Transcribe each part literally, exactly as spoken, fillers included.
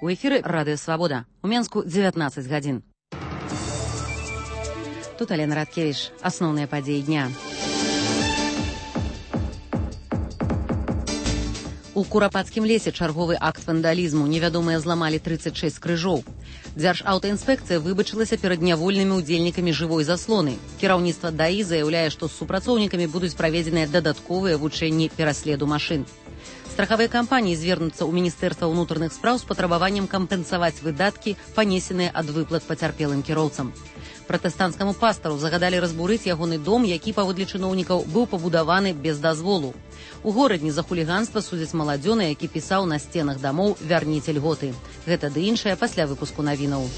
У эфіры Радыё Свабода. У Менску дзевятнаццаць гадзін. Тут Алена Радкевіч. Асноўныя падзеі дня. У Курапацкім лесе чарговы акт вандалізму. Невядомыя зламалі трыццаць шэсць крыжоў. Дзяржаўтаінспекцыя выбачылася перад нявольнымі ўдзельнікамі жывой заслоны. Кіраўніцтва ДАІ заяўляе, што з супрацоўнікамі будуць праведзеныя дадатковыя вучэнні пераследу машын. Страхавыя кампаніі звернуцца ў Міністэрства ўнутраных спраў з патрабаваннем кампенсаваць выдаткі, панесеныя ад выплат пацярпелым кіроўцам. Пратэстанцкаму пастару загадалі разбурыць ягоны дом, які, паводле чыноўнікаў, быў пабудаваны без дазволу. У горадні за хуліганства судзяць маладзёна, які пісаў на сценах дамоў «Вярніце льготы». Гэта ды іншае пасля выпуску навінаў.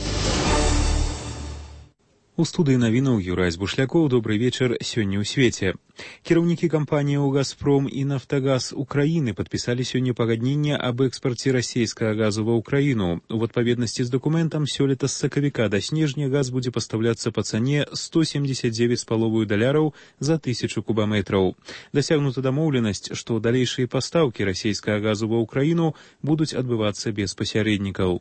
У студыі навінаў Юрась Бушлякоў. Добрый вечар. Сёння ў свеце. Кіраўнікі кампаніяў «Газпром» і «Нафтагаз» Украіны падпісалі сёння пагадненне аб экспарце расійскага газу ва ўкраіну. У адпаведнасці з дакументам сёлета з сакавіка да снежня газ будзе пастаўляцца па цане сто семдзесят дзевяць з паловаю даляраў за тысячу кубаметраў. Дасягнута дамоўленасць, што далейшыя пастаўкі расійскага газу ва ўкраіну будуць адбывацца без пасярэднікаў.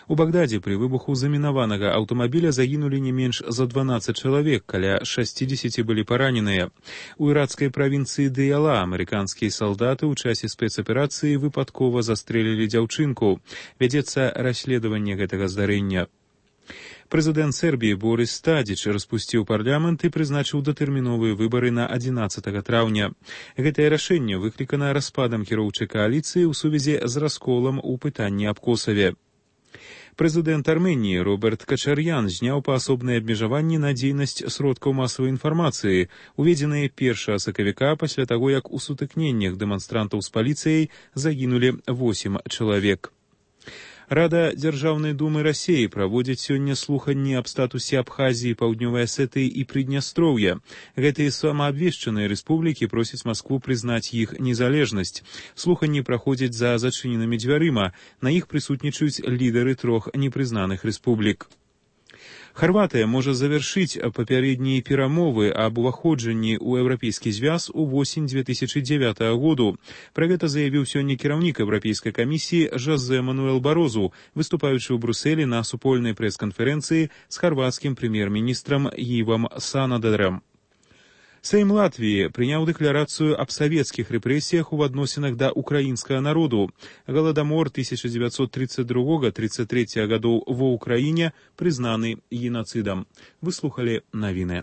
У Багдадзе пры выбуху замінаванага аўтамабіля загінулі не менш за дванаццаць чалавек, каля шэсцідзесяці былі параненыя. У іракскай правінцыі Дыяла амерыканскія салдаты ў часе спецаперацыі выпадкова застрэлілі дзяўчынку. Вядзецца расследаванне гэтага здарэння. Прэзідэнт Сербіі Борис Тадзіч распусціў парламент і прызначыў датэрміновыя выбары на адзінаццатага траўня. Гэтае рашэнне выклікана распадам кіроўчай кааліцыі ў сувязі з расколам у пытанні аб Косаве. Прэзідэнт Арменіі Роберт Качар'ян зняў паасобныя абмежаванні на дзейнасць сродкаў масавай інфармацыі, уведзеныя першага сакавіка пасля таго, як у сутыкненнях дэманстрантаў з паліцыяй загінулі восем чалавек. Рада Дзяржаўнай думы Расіі праводзіць сёння слуханні аб статусе Абхазіі, Паўднёвай Асетыі і Прыднястроўя. Гэтыя самаабвешчаныя рэспублікі просяць Маскву прызнаць іх незалежнасць. Слуханні праходзяць за зачыненымі дзвярыма. На іх прысутнічаюць лідары трох непрызнаных рэспублік. Харватыя можа завяршыць папярэднія перамовы аб уваходжанні ў еўрапейскі звяз увосень дзве тысячы дзявятага году. Пра гэта заявіў сёння кіраўнік Еўрапейскай камісіі Жозе Мануэл Барозу, выступаючы ў Брусэлі на супольнай прэс-канферэнцыі з харвацкім прэм'ер-міністрам Івам Санадерам. Сейм Латвіі прыняў дэкларацыю аб савецкіх рэпрэсіях у адносінах да ўкраінскага народу. Галадамор тысяча дзевяцьсот тридцать другога — тридцать трэцяга гадоў ва ўкраіне прызнаны генацыдам. Выслухалі навіны.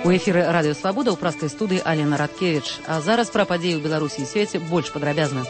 У эфіры Радыё Свабода ў праскай студыі Алена Радкевіч. А зараз пра падзеі ў Беларусі і свеце больш падрабязна.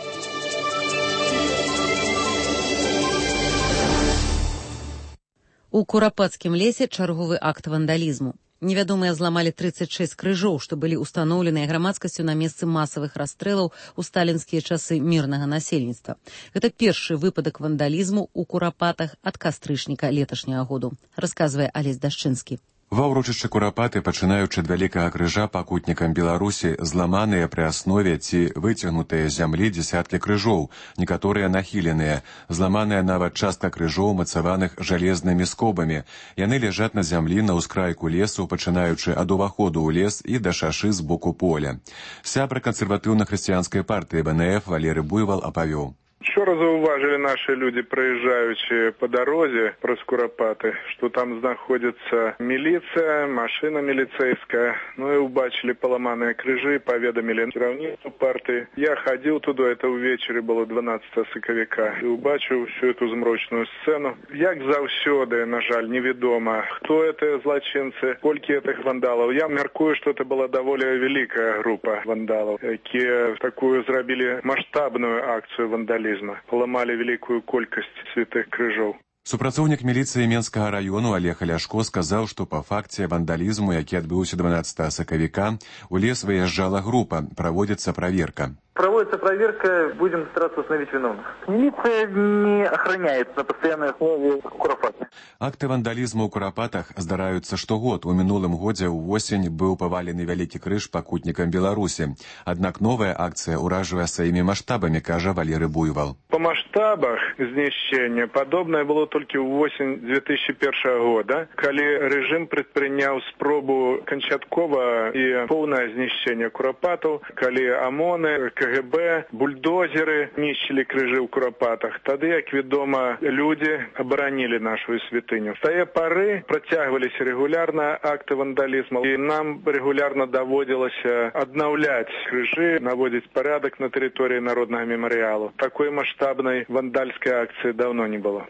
У Курапацкім лесе чарговы акт вандалізму. Невядомыя зламалі трыццаць шэсць крыжоў, што былі ўстаноўленыя грамадскасцю на месцы масавых расстрэлаў у сталінскія часы мірнага насельніцтва. Гэта першы выпадак вандалізму ў Курапатах ад кастрычніка леташняга году, расказвае Алесь Дашчынскі. Ва ўрочышчы Курапаты, пачынаючы ад вялікага крыжа пакутнікам Беларусі, зламаныя пры аснове ці выцягнутыя з зямлі дзесяткі крыжоў, некаторыя нахіленыя, зламаная нават частка крыжоў, мацаваных жалезнымі скобамі. Яны ляжаць на зямлі на ўскрайку лесу, пачынаючы ад уваходу ў лес і да шашы з боку поля. Сябра кансерватыўна-хрысціянскай партыі Бэ Эн Эф Валерый Буйвал апавёў. Вчора зауважили наши люди, проезжающие по дороге про Курапаты, что там находится милиция, машина милицейская. Ну и убачили поломанные крыжи, поведомили керівництву партии. Я ходил туда, это увечері было дванадцятого сакавіка, и убачив всю эту змрочную сцену. Як завсёды, на жаль, невідомо, кто это злочинцы, сколько этих вандалов. Я мяркую, что это была довольно великая группа вандалов, которые такую зробили масштабную акцию вандализма. Поламали великую колькасць святых крыжоў. Супрацоўнік міліцыі Менскага району Олег Ляшко сказаў, што па факце вандалізму, які адбыўся дванаццатага сакавіка, у лес выязджала група, праводзіцца праверка. Проводится проверка, будем стараться установить виновных. Милиция не охраняет на постоянной основе Курапаты. Акты вандалізму ў Курапатах здараюцца штогод. У мінулым годзе ўвосень быў павалены вялікі крыж пакутнікам Беларусі. Аднак новая акцыя ўражвае сваімі маштабамі, кажа Валерый Буйвал. По масштабах знищення подобное было толькі ў восень две тысячи первого года, калі рэжым прадпрыняў спробу канчаткова і поўнае знішчэнне курапатаў, калі ОМОНы, КГБ, бульдозеры нішчылі крыжы ў курапатах. Тады, як вядома, людзі абаранілі нашу святыню. З тае пары працягваліся рэгулярна акты вандалізму, і нам рэгулярна даводзілася аднаўляць крыжы, наводзіць парядак на тэрыторыі народнага мемарыялу. Такой маштабнай вандальскай акцыі даўно не было.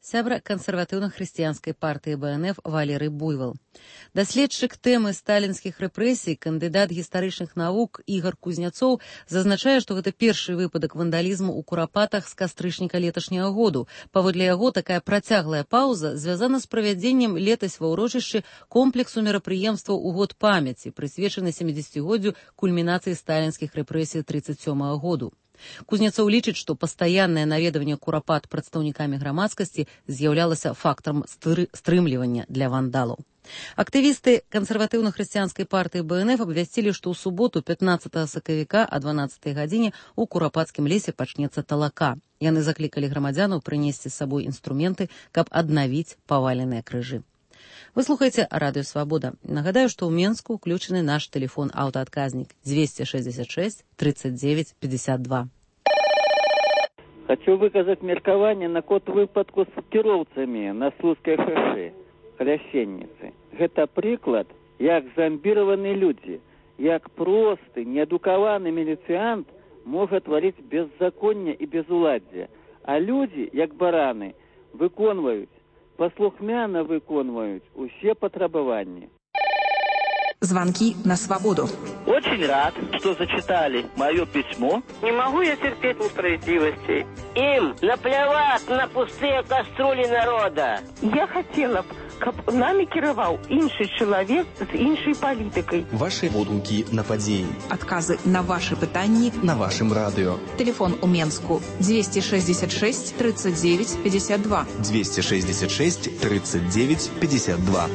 Сябра кансерватыўна-хрысціянскай партыі БНФ Валерый Буйвол. Даследчык тэмы сталінскіх рэпрэсій, кандыдат гістарычных навук Ігор Кузняцоў зазначае, што гэта першы выпадак вандалізму ў курапатах з кастрычніка леташняга году. Паводле яго, такая працяглая паўза звязана з правядзеннем летась ва ўрочышчы комплексу мерапрыемстваў у год памяці, прысвечаны сямідзесяцігоддзю кульмінацыі сталінскіх рэпрэсій тридцать сёмага году. Кузняцоў лічыць, што пастаяннае наведванне курапат прадстаўнікамі грамадскасці з'яўлялася фактарам стрымлівання для вандалаў. Актывісты кансерватыўна-хрысціянскай партыі БНФ абвясцілі, што ў суботу пятнаццатага сакавіка о дванаццатай гадзіне ў курапацкім лесе пачнецца талака. Яны заклікалі грамадзянаў прынесці з сабой інструменты, каб аднавіць паваленыя крыжы. Вы слухаеце Радыё Свабода. Нагадаю, што ў Менску ўключаны наш тэлефон аўтаадказнік двести шестьдесят шесть тридцать девять пятьдесят два. Хочу выказаць меркаванне наконт выпадку з кіроўцамі на Слуцкай шосе, хляшенніцы. Гэта прыклад, як зомбіраваны людзі, як просты, неадукаваны міліцыянт можа тварыць беззаконне і безуладдзе, а людзі, як бараны, выконваюць, послухмяно выконваюць усе патрабаванні. Звонки на свободу. Очень рад, что зачитали мое письмо. Не могу я терпеть несправедливости. Им наплевать на пустые кастрюли народа. Я хотела б, каб нами кіраваў іншы чалавек з іншай палітыкай. Ваши водгукі на падзеі. Отказы на ваши пытанні на вашем радио. Телефон у Менску двести шестьдесят шесть тридцать девять пятьдесят два. двести шестьдесят шесть тридцать девять пятьдесят два.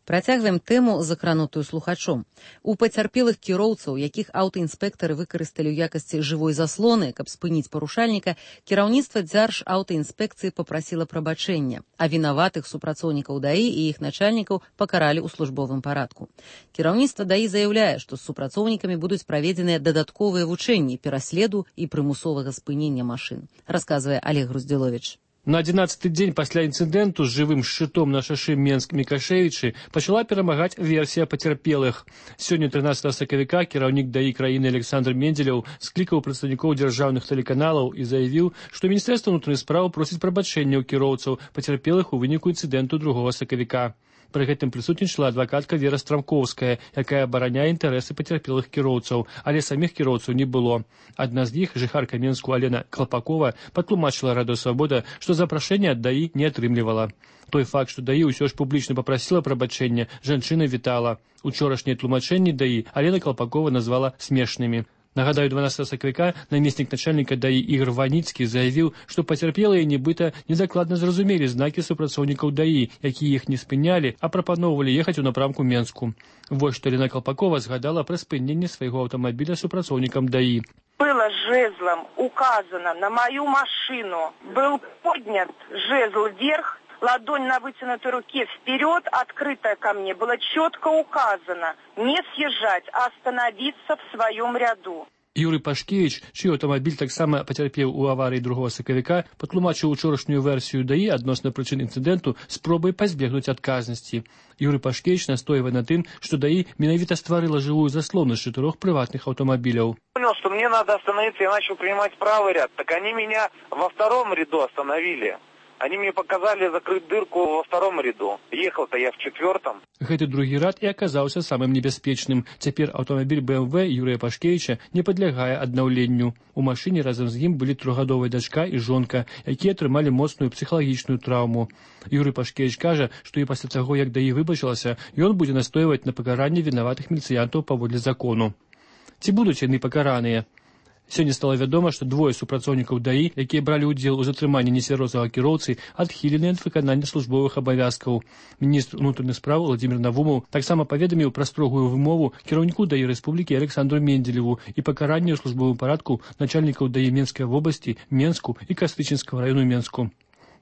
Працягваем тэму, закранутую слухачом. У пацярпелых кіроўцаў, якіх аўтаінспектары выкарысталі ў якасці жывой заслоны, каб спыніць парушальніка, кіраўніцтва дзяржаўтаінспекцыі папрасіла прабачэння, а вінаватых супрацоўнікаў ДАІ і іх начальнікаў пакаралі ў службовым парадку. Кіраўніцтва ДАІ заяўляе, што з супрацоўнікамі будуць праведзеныя дадатковыя вучэнні пераследу і прымусовага спынення машын, расказвае Олег Груздзіловіч. На адзінаццаты дзень пасля інцыдэнту з жывым шчытом на шашы Менск-Мікашевічы пачала перамагаць версія пацярпелых. Сёння трынаццатага сакавіка кіраўнік ДАІ краіны Александр Менделеў склікаў прадстаўнікоў дзяржаўных тэлеканалаў і заявіў, што Міністэрства ўнутраных спраў просіць прабачэння ў кіроўцаў пацярпелых у выніку інцыдэнту другога сакавіка. Пры гэтым прысутнічала адвакатка Вера Страмковская, якая абараняе інтарэсы пацярпелых кіроўцаў, але саміх кіроўцаў не было. Адна з іх, жыхарка Менску Алена Клапакова, патлумачыла Радыё Свабода, што запрашэнне ад ДАІ не атрымлівала. Той факт, што ДАІ ўсё ж публічна папрасіла прабачэння, жанчына вітала. Учорашнія тлумачэнні ДАІ Алена Клапакова назвала смешнымі. Нагадаю, дванаццатага сакавіка намеснік начальніка ДАІ Ігор Ваніцкі заявіў, што пацярпелыя нібыта недакладна зразумелі знакі супрацоўнікаў ДАІ, якія іх не спынялі, а прапаноўвалі ехаць у напрамку Менску. Вось што Алена Клапакова згадала пра спыненне свайго аўтамабіля супрацоўнікам ДАІ. Было жезлом указано на мою машину, был поднят жезл вверх, ладонь на вытянутой руке вперед, открытая ко мне, было четко указано не съезжать, а остановиться в своем ряду. Юрий Пашкевич, чый аўтамабіль таксама пацярпеў у аварыі другога сакавіка, патлумачыў учорашнюю версію ДАІ адносна прычын інцыдэнту спробай пазбегнуць адказнасці. Юрий Пашкевич настойвае на тым, што ДАІ менавіта стварыла жывую заслону з чатырох прыватных аўтамабіляў. Понял, что мне надо остановиться, я начал принимать правый ряд, так они меня во втором ряду остановили. Они мне показали закрыть дырку во втором ряду. Ехал-то я в четвертом. Гэты другі рад і аказаўся самым небяспечным. Цяпер аўтамабіль бэ эм вэ Юрыя Пашкевіча не падлягае аднаўленню. У машыне разам з ім былі трохгадовая дачка і жонка, якія атрымалі моцную псіхалагічную траўму. Юрый Пашкевіч кажа, што і пасля таго, як ДАІ выбачылася, ён будзе настойваць на пакаранні вінаватых міліцыянтаў паводле закону. Ці будуць яны пакараныя? Сёння стала вядома, што двое супрацоўнікаў даі, якія бралі ўдзел у затрыманні нецвярозага кіроўцы, адхілены ад выканання службовых абавязкаў. Міністр унутраных спраў Владзімір Навумаў таксама паведаміў пра строгую вымову кіраўніку даі рэспублікі Александру Менделеву і пакаранне ў службовым парадку начальнікаў даі Менскай вобласці, Менску і Кастычынскага раёну Менску.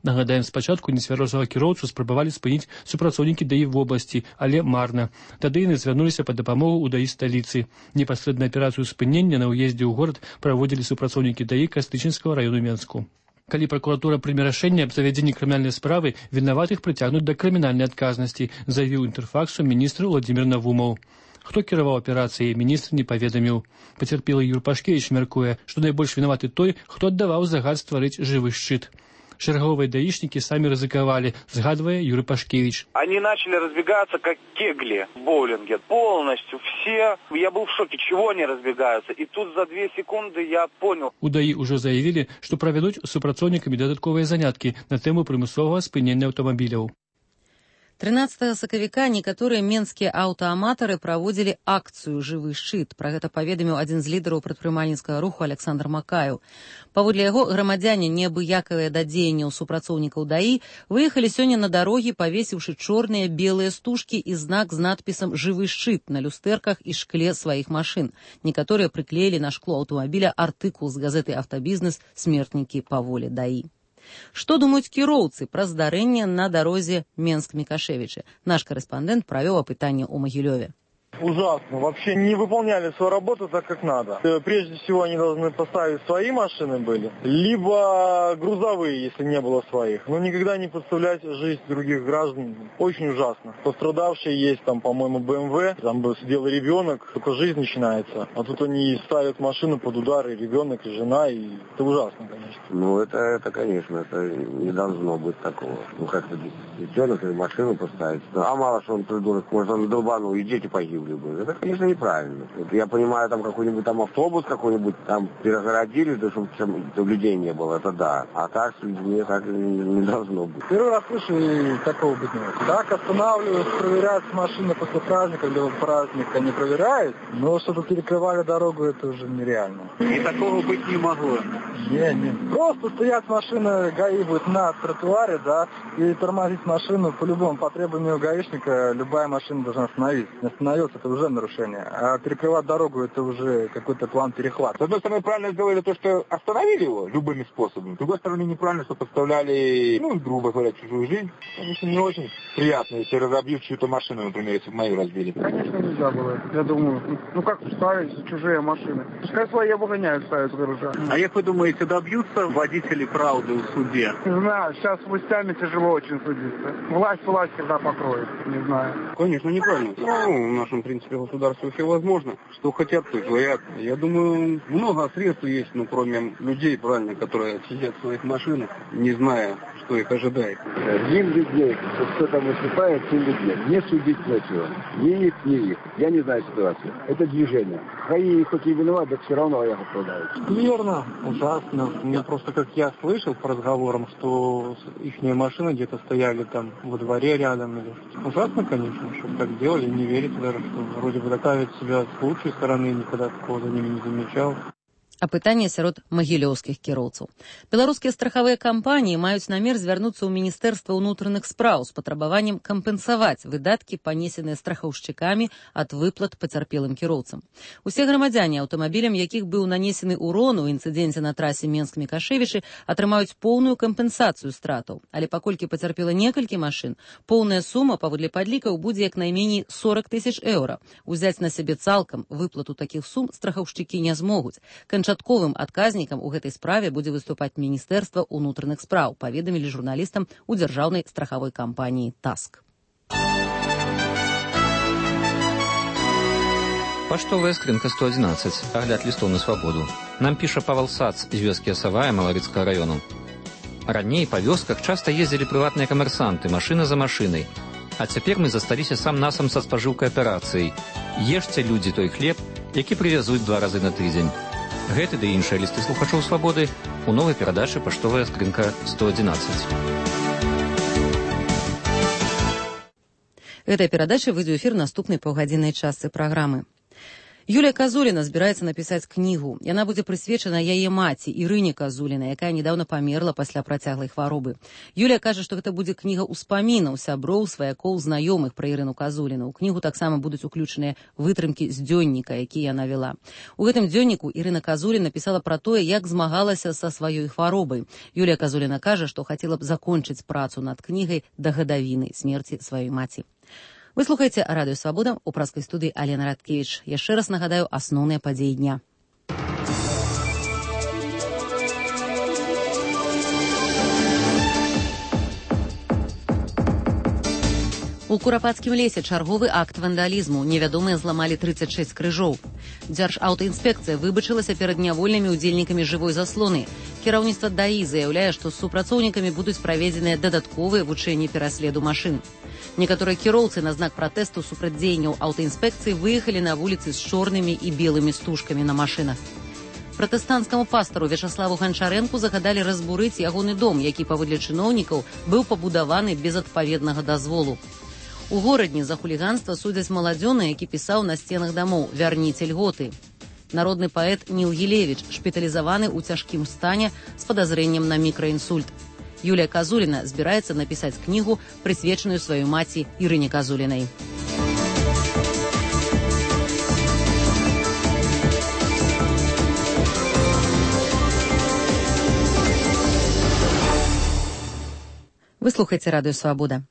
Нагадаем, спачатку нецвярозага кіроўцу спрабавалі спыніць супрацоўнікі даі в вобласці, але марна. Тады яны звярнуліся па дапамогу ў даі сталіцы. Непасрэдна аперацыю спынення на ўездзе ў горад праводзілі супрацоўнікі даі Кастычынскага раёну Менску. Калі пракуратура прыме рашэнне аб завядзенні крымінальнай справы, вінаватых прыцягнуць да крымінальнай адказнасці, заявіў Інтэрфаксу міністр Владзімір Навумаў. Хто кіраваў аперацыяй, міністр не паведаміў. Пацярпелы Юр Пашкевіч мяркуе, што найбольш вінаваты той, хто аддаваў загад стварыць жывы шчыт. Шерговые даишники сами ризыковали, згадывая Юрий Пашкевич. Они начали разбегаться, как кегли в боулинге. Полностью все. Я был в шоке, чего они разбегаются. И тут за две секунды я понял. У даі ўжо заявілі, што правядуць з супрацоўнікамі дадатковыя заняткі на тэму прымусовага спынення аўтамабіляў. тринадцатага сакавіка некаторыя менскія аўтааматары праводзілі акцыю «Жывы шчыт». Пра гэта паведаміў адзін з лідараў прадпрымальніцкага руху Александр Макаеў. Паводле яго, грамадзяне, неабыякавыя да дзеянняў супрацоўнікаў даі, выехалі сёння на дарогі, павесіўшы чорныя белыя стужкі і знак з надпісам «Жывы шчыт» на люстэрках і шкле сваіх машын. Некаторыя прыклеілі на шкло аўтамабіля артыкул з газеты «Аўтабізнес» «Смертнікі па волі даі». Што думаюць кіроўцы пра здарэнне на дарозе Менск-Мікашевічы? Наш карэспандэнт правёў апытанне ў Магілёве. Ужасно. Вообще не выполняли свою работу так, как надо. Прежде всего, они должны поставить свои машины были, либо грузовые, если не было своих. Но никогда не подставлять жизнь других граждан. Очень ужасно. Пострадавшие есть, там, по-моему, бэ эм вэ, там бы сидел ребенок, только жизнь начинается. А тут они ставят машину под удар, и ребенок, и жена, и это ужасно, конечно. Ну, это, это конечно, это не должно быть такого. Ну, как-то ребенок или машину поставить. А мало что он придурок, может, он долбанул, и дети погибли. Это, конечно, неправильно. Это, я понимаю, там какой-нибудь там автобус какой-нибудь там перегородили, да, чтобы там людей не было, это да. А так с людьми так не, не должно быть. Первый раз слышу, и такого быть не может. Так останавливают, проверяют машины после праздника, или праздника не проверяют, но чтобы перекрывали дорогу, это уже нереально. И такого быть не могло. Не, не. Просто стоят машины, ГАИ будет на тротуаре, да, и тормозить машину по-любому, по требованию гаишника, любая машина должна остановиться. Не остановился, это уже нарушение. А перекрывать дорогу, это уже какой-то план перехвата. С одной стороны, правильно сделали то, что остановили его любыми способами. С другой стороны, неправильно, что подставляли, ну, грубо говоря, чужую жизнь. Конечно, не очень приятно, если разобьют чью-то машину, например, если бы мою разбили. Конечно, нельзя было. Я думаю, ну как ставить чужие машины? Пускай свои обгоняют, ставят в гаража. А как вы думаете, добьются водители правды в суде? Не знаю, сейчас с властями тяжело очень судиться. Власть власть когда покроет, не знаю. Конечно, неправильно. Ну, в нашем, в принципе, государстве все возможно. Что хотят, то и творят. Я думаю, много средств есть, ну, кроме людей, правильно, которые сидят в своих машинах, не зная, что их ожидает. Им людей, кто там выступает, тем людей. Не судить нечего. Ни их, ни их. Я не знаю ситуацию. Это движение. ГАИ хоть и виноват, так все равно я оправдаю. Верно, ужасно. Мне просто, как я слышал по разговорам, что их машины где-то стояли там во дворе рядом. Или... Ужасно, конечно, что так делали. Не верится даже, что вроде бы доказывают себя с лучшей стороны, никогда такого за ними не замечал. Апытанне сярод магілёўскіх кіроўцаў. Беларускія страхавыя кампаніі маюць намер звярнуцца ў Міністэрства ўнутраных спраў з патрабаваннем кампенсаваць выдаткі, панесеныя страхаўшчыкамі ад выплат пацярпелым кіроўцам. Усе грамадзяне, аўтамабілям якіх быў нанесены ўрон у інцыдэнце на трасе Менск-Мікашевічы, атрымаюць поўную кампенсацыю стратаў. Але паколькі пацярпела некалькі машын, поўная сума, паводле падлікаў, будзе як найменей сорок тысяч еўра. Узяць на сябе цалкам выплату такіх сум страхаўшчыкі не змогуць. Канчатковым адказнікам у гэтай справе будзе выступаць Міністэрства ўнутраных спраў, паведамілі журналістам у дзяржаўнай страхавой кампаніі «Таск». Паштовая скрынка сто одиннадцать. Агляд лістоў на свабоду. Нам піша Павел Сац з вёскі Асавая Малавіцкага раёну. Раней па вёсках часта ездзілі прыватныя камерсанты, машына за машынай. А цяпер мы засталіся сам-насам са спажыўкай аперацыяй. Ешце, людзі, той хлеб, які прывязуць два разы на тыдзень. Гэты ды іншыя лісты слухачоў свабоды у новай перадачы «Паштовая скрынка сто одиннадцать». Гэтая перадача выйдзе ў эфір наступнай паўгадзіннай частцы праграмы. Юлія Казуліна збіраецца напісаць кнігу. Яна будзе прысвечана яе маці Ірыне Казулінай, якая недавно памерла пасля працяглай хваробы. Юлія кажа, што гэта будзе кніга ўспамінаў сяброў, сваякоў, знаёмых пра Ірыну Казуліну. У кнігу таксама будуць уключаныя вытрымкі з дзённіка, які яна вела. У гэтым дзённіку Ірына Казуліна пісала пра тое, як змагалася са сваёй хваробай. Юлія Казуліна кажа, што хацела б закончыць працу над кнігай да гадавіны смерці сваёй маці. Вы слухаеце Радыё Свабода, у праскай студыі Алена Радкевіч. Яшчэ раз нагадаю асноўныя падзеі дня. У Курапацкім лесе чарговы акт вандалізму. Невядомыя зламалі трыццаць шэсць крыжоў. Дзяржаўтаінспекцыя выбачылася перад нявольнымі ўдзельнікамі жывой заслоны. Кіраўніцтва ДАІ заяўляе, што з супрацоўнікамі будуць праведзеныя дадатковыя вучэнні пераследу машын. Некаторыя кіроўцы на знак пратэсту супраць дзеянняў аўтаінспекцыі выехалі на вуліцы з чорнымі і белымі стужкамі на машынах. Пратэстанцкаму пастару Вячаславу Ганчарэнку загадалі разбурыць ягоны дом, які, паводле чыноўнікаў, быў пабудаваны без адпаведнага дазволу. У горадні за хуліганства судзяць маладзёна, які пісаў на сценах дамоў «Вярніце льготы». Народны паэт Ніл Гілевіч шпіталізаваны ў цяжкім стане з падазрэннем на мікраінсульт. Юлія Казуліна збіраецца напісаць кнігу, прысвечаную сваёй маці Ірыне Казулінай. Вы слухаеце Радыё Свабода.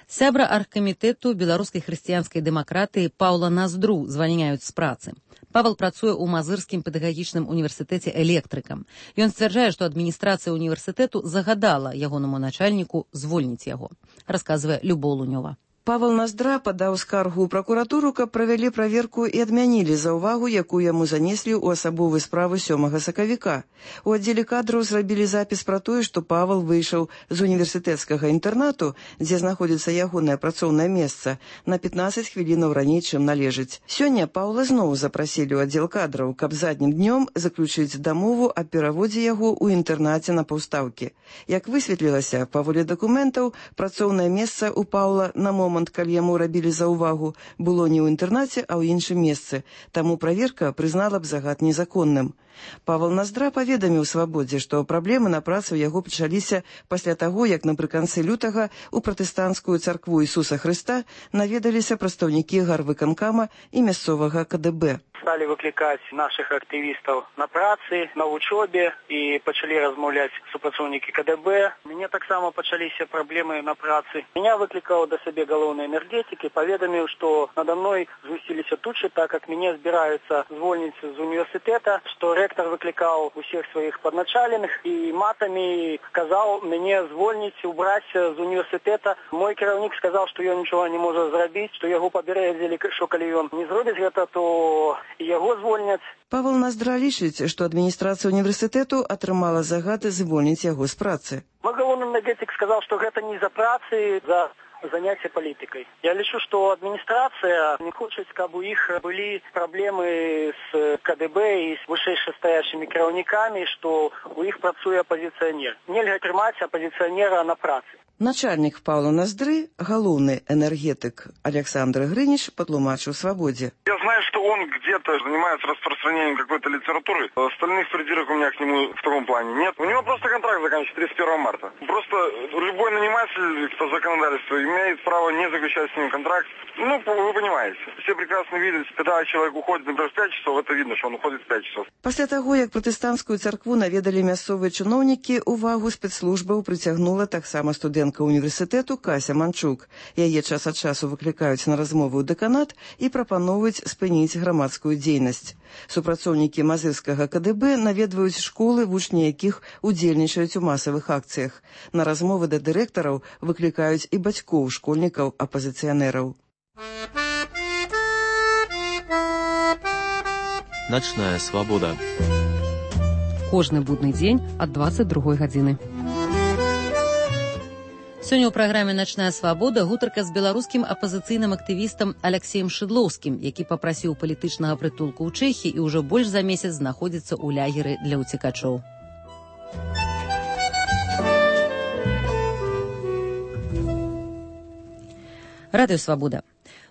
Сябра аргкамітэту беларускай хрысціянскай дэмакратыі Паўла Наздру звальняюць з працы. Павел працуе ў Мазырскім педагагічным універсітэце электрыкам. Ён сцвярджае, што адміністрацыя універсітэту загадала ягонаму начальніку звольніць яго. Расказвае Любоў Лунёва. Павел Наздра падаў скаргу ў пракуратуру, каб правялі праверку і адмянілі заўвагу, якую яму занеслі ў асабовай справы сёмага сакавіка. У аддзеле кадраў зрабілі запіс пра тое, што Павел выйшаў з універсітэцкага інтэрнату, дзе знаходзіцца ягонае працоўнае месца, на пятнаццаць хвілінаў раней, чым належыць. Сёння Паўла зноў запрасілі ў аддзел кадраў, каб заднім днём заключыць дамову аб пераводзе яго ў інтэрнаце на паўстаўкі. Як высветлілася, паводле дакументаў, працоўнае месца ў Паўла на момант, калі яму рабілі заўвагу, было не ў інтэрнаце, а ў іншым месцы. Таму праверка прызнала б загад незаконным. Павел Наздра паведаміў Свабодзе, што праблемы на працы ў яго пачаліся пасля таго, як напрыканцы лютага ў пратэстанцкую царкву Ісуса Хрыста наведаліся прадстаўнікі гарвыканкама і мясцовага ка дэ бэ. Стали выкликать наших активистов на працы, на учебе и почали размовлять супрацоўнікі ка дэ бэ. Мне так само почалися проблемы на працы. Меня выкликал до себе головной энергетики, поведомил, что надо мной звысились тучи, так как меня собираются звольнить из университета, что ректор выкликал у всех своих подначаленных и матами сказал мне звольнить, убрать з университета. Мой кіраўнік сказал, что я ничего не могу зрабіць, что яго пабярэдзілі, что калі ён не зробіць гэта, то яго звольняць. Павел Наздра лічыць, што адміністрацыя універсітэту атрымала загад звольніць яго з працы. Мой галоўны энергетик сказал, что гэта не за працы, за занятие политикой. Я лечу, что администрация не хочет, каб у их были проблемы с ка дэ бэ и с вышэйшастаячымі кіраўнікамі, что у их працуе оппозиционер. Нельга трымаць оппозиционера на працы. Начальник Павла Наздры, галоўны энергетик Александр Грынич, патлумачыў Свабодзе. Я знаю, что он где-то занимается распространением какой-то литературы. Остальных придирок у меня к нему в таком плане нет. У него просто контракт заканчивается тридцать первого марта. Просто любой наниматель по законодательству имеет право не заключать с ним контракт. Ну, вы понимаете. Все прекрасно видят, когда человек уходит, например, в пять часов, это видно, что он уходит в пять часов. Пасля таго, як пратэстанцкую царкву наведалі мясцовыя чыноўнікі, увагу спецслужбаў прыцягнула таксама студэнтка універсітэту Кася Манчук. Яе час ад часу выклікаюць на размову ў дэканат і прапановваюць спыніць грамадскую дзейнасць. Супрацоўнікі Мазырскага ка дэ бэ наведваюць школы, вучні якіх удзельнічаюць у масавых акцыях. На размовы да дырэктараў выклікаюць і бацькоў школьнікаў-апазіцыянераў. Начная свабода. Кожны будны дзень ад дваццаць другой гадзіны. Сёння ў праграме «Начная свабода» гутарка з беларускім апазіцыйным актывістам Аляксеем Шыдлоўскім, які папрасіў палітычнага прытулку ў Чэхіі і ўжо больш за месяц знаходзіцца ў лягеры для ўцекачоў. Радыё Свабода.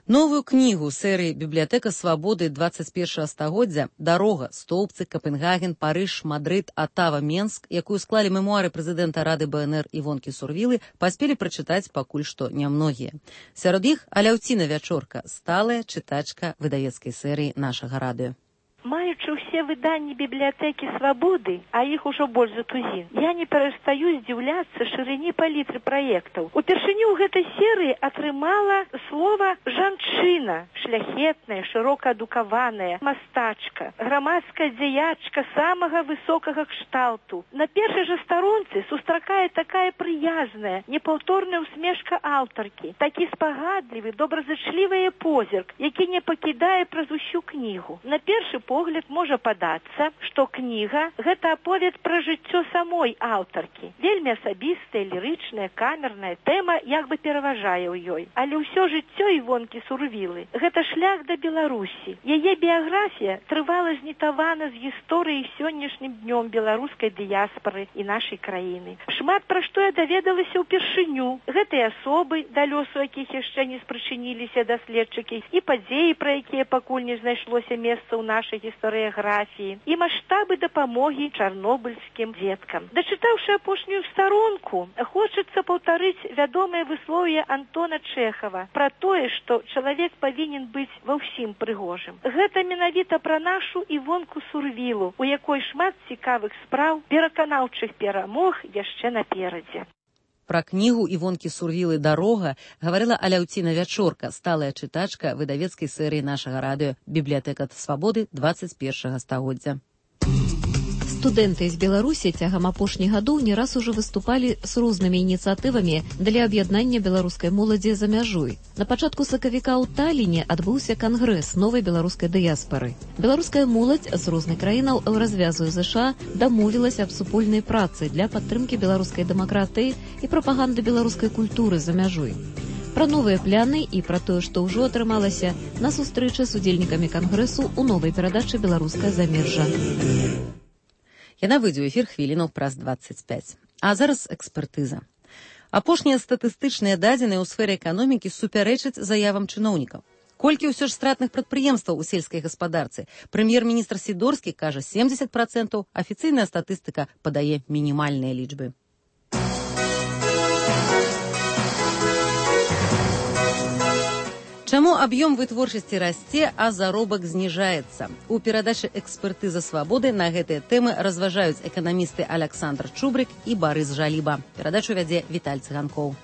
Новую кнігу серыі «Бібліятэка свабоды двадцать першага стагоддзя» «Дарога. Стоўбцы, Капенгаген, Парыж, Мадрыд, Атава, Менск», якую склалі мемуары прэзідэнта Рады БНР Івонкі Сурвілы, паспелі прачытаць пакуль што нямногія. Сярод іх Аляўціна Вячорка, сталая чытачка выдавецкай серыі нашага радыё. Маючы ўсе выданні бібліятэкі свабоды, а іх ужо больш за тузін, я не перастаю здзіўляцца шырыні палітры праектаў. Упершыню ў гэтай серыі атрымала слова жанчына, шляхетная, шырока адукаваная, мастачка, грамадская дзеячка самага высокага кшталту. На першай жа старонцы сустракае такая прыязная, непаўторная усмешка аўтаркі, такі спагадлівы, добразычлівы позірк, які не пакідае праз усю кнігу. На першы погляд можа падацца, што кніга – гэта аповед пра жыццё самой аўтаркі. Вельмі асабістая, лірычная, камерная тэма як бы пераважае ў ёй. Але ўсё жыццё Івонкі Сурвілы – гэта шлях да Беларусі. Яе біяграфія трывала знітавана з гісторыі сённяшнім днём беларускай дыяспары і нашай краіны. Шмат пра што я даведалася ўпершыню. Гэтыя асобы, да лёсу якіх яшчэ не спрычыніліся даследчыкі, і падзеі, пра якія пакуль не знайшлося месца ў нашай гістарыяграфіі, і маштабы дапамогі чарнобыльскім дзеткам. Дачытаўшы апошнюю старонку, хочацца паўтарыць вядомае выслоўе Антона Чэхава пра тое, што чалавек павінен быць ва ўсім прыгожым. Гэта менавіта пра нашу Івонку Сурвілу, у якой шмат цікавых спраў, пераканаўчых перамог яшчэ наперадзе. Пра кнігу Івонкі Сурвілы «Дарога» гаварыла Аляўціна Вячорка, сталая чытачка выдавецкай серыі нашага радыё «Бібліятэка свабоды двадцать першага стагоддзя». Студэнты з Беларусі цягам апошніх гадоў не раз ужо выступалі з рознымі ініцыятывамі для аб'яднання беларускай моладзі за мяжой. На пачатку сакавіка ў Таліне адбыўся кангрэс новай беларускай дыяспары. Беларуская моладзь з розных краінаў развязу ЗША дамовілася аб супольнай працы для падтрымкі беларускай дэмакратыі і прапаганды беларускай культуры за мяжой. Пра новыя пляны і пра тое, што ўжо атрымалася на сустрэчы з удзельнікамі кангрэсу ў новай перадачы «Беларускае замежжа». Яна выйдзе ў эфір хвілінаў праз двадцать пять. А зараз экспертыза. Апошнія статыстычныя дадзеныя ў сферы эканомікі супярэчаць заявам чыноўнікаў. Колькі ўсё ж стратных прадпрыемстваў у сельскай гаспадарцы? Прэм'ер-міністр Сідорскі кажа семьдесят процентов, афіцыйная статыстыка падае мінімальныя лічбы. Чаму аб'ём вытворчасці расце, а заробак зніжаецца? У перадачы «Экспертыза свабоды» на гэтыя тэмы разважаюць эканамісты Аляксандр Чубрык і Барыс Жаліба. Перадачу вядзе Віталь Цыганкоў.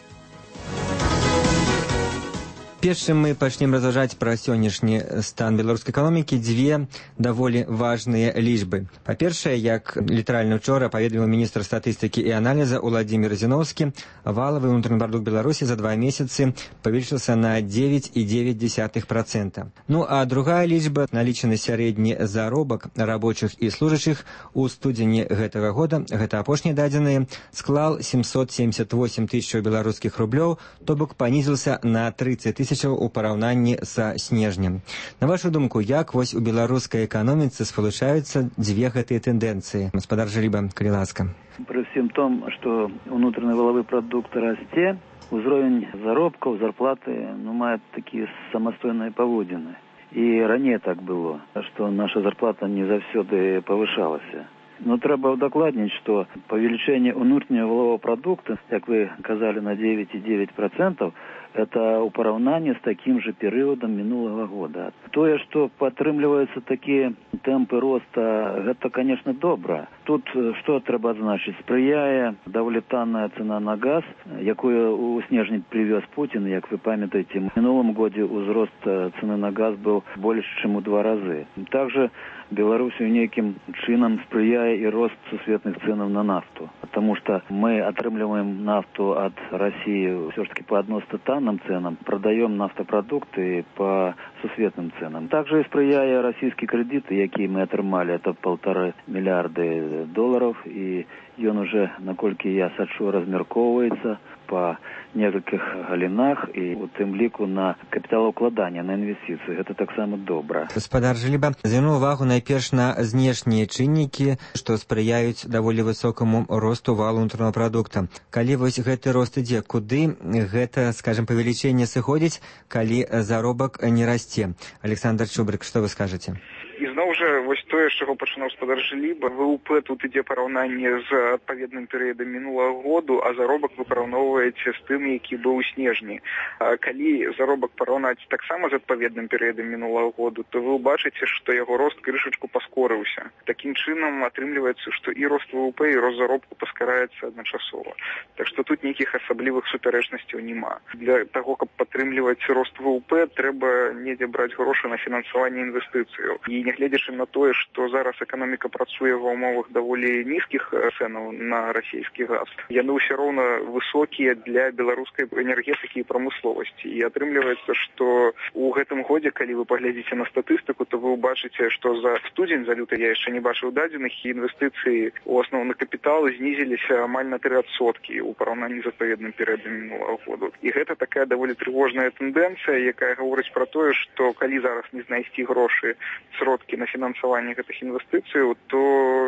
Першым мы пачнем разважаць пра сённяшні стан беларускай эканомікі дзве даволі важныя лічбы. Па-першае, як літаральна учора паведаміў міністр статыстыкі і аналіза Уладзімір Зіноўскі, валавы ўнутраны прадукт Беларусі за два месяцы павялічыўся на девять і девять десятых процента. Ну а другая лічба, налічаны сярэдні заробак рабочых і служачых у студзені гэтага года, гэта апошнія дадзеныя, склаў семьсот семьдесят восемь тысяч беларускіх рублёў, то бок панізіўся на тридцать тысяч у параўнанні са снежнем. На вашу думку, як вось у беларускай эканоміцы спалучаюцца дзве гэтыя тэндэнцыі? Гаспадар Жаліба, калі ласка. При всем том, что внутренний валовый продукт расте, узровень заробков, зарплаты, ну, мает такие самостойные поводины. И ранее так было, что наша зарплата не завсёды повышалась. Но треба удокладнить, что повеличение внутреннего валового продукта, как вы казали, на девять и девять процентов, это у параўнанні з таким же перыядам мінулага года. Тое, што падтрымліваюцца такія тэмпы роста, гэта, конечно, добра. Тут што трэба адзначыць? Спрыяе даволі танная цена на газ, якую у снежні прывёз Путін, як вы памятаеце. В мінулым годзе ўзрост цены на газ быў больш, чым у два разы. Также Беларусью нейкім чынам спрыяе і рост сусветных ценаў на нафту. Потому что мы атрымліваем нафту от России все-таки по адносна танным ценам, продаем нафтопродукты по сусветным ценам. Также и спрыяе российские кредиты, якія мы атрымали, это полтора миллиарда долараў, і ён уже, наколькі я сачу, размяркоўваецца па некалькіх галінах, і у тым ліку на капіталаўкладанне, на інвестыцыі. Гэта таксама добра. Гаспадар Жыліба звярнуў увагу найперш на знешнія чыннікі, што спрыяюць даволі высокаму росту валу ўнутранага прадукта. Калі вось гэты рост ідзе, куды гэта, скажем, павелічэнне сыходзіць, калі заробак не расце? Александр Чубрык, што вы скажаце? І зноў жа, вось тое, з чаго пачынаў гаспадар Жыліба, ВУП тут ідзе параўнанне з адпаведным перыядам мінулага году, а заробак вы параўноўваеце з тым, які быў у снежні. А калі заробак параўнаць таксама з адпаведным перыядам мінулага году, то вы ўбачыце, што яго рост крышачку паскорыўся. Такім чынам атрымліваецца, што і рост ВУП, і рост заробку паскараецца адначасова. Так што тут нейкіх асаблівых супярэчнасцяў няма. Для таго, каб падтрымліваць рост ВУП, трэба недзе браць грошы на фінансаванне інвестыцыяў. І нягледзячы на тое, што зараз эканоміка працуе ва ўмовах даволі нізкіх цэнаў на расійскі газ, яны ўсё роўна высокія для беларускай энергетыкі і прамысловасці. І атрымліваецца, што ў гэтым годзе, калі вы паглядзіце на статыстыку, то вы ўбачыце, што за студзень, за люты я яшчэ не бачыў дадзеных, і інвестыцыі ў асноўны капітал знізіліся амаль на тры адсоткі ў параўнанні з адпаведным перыядам мінулага году. І гэта такая даволі трывожная тэндэнцыя, якая гаворыць пра тое, што калі зараз не знайсці грошы, сродкі на фінансаванне гэтых інвестыцыяў, то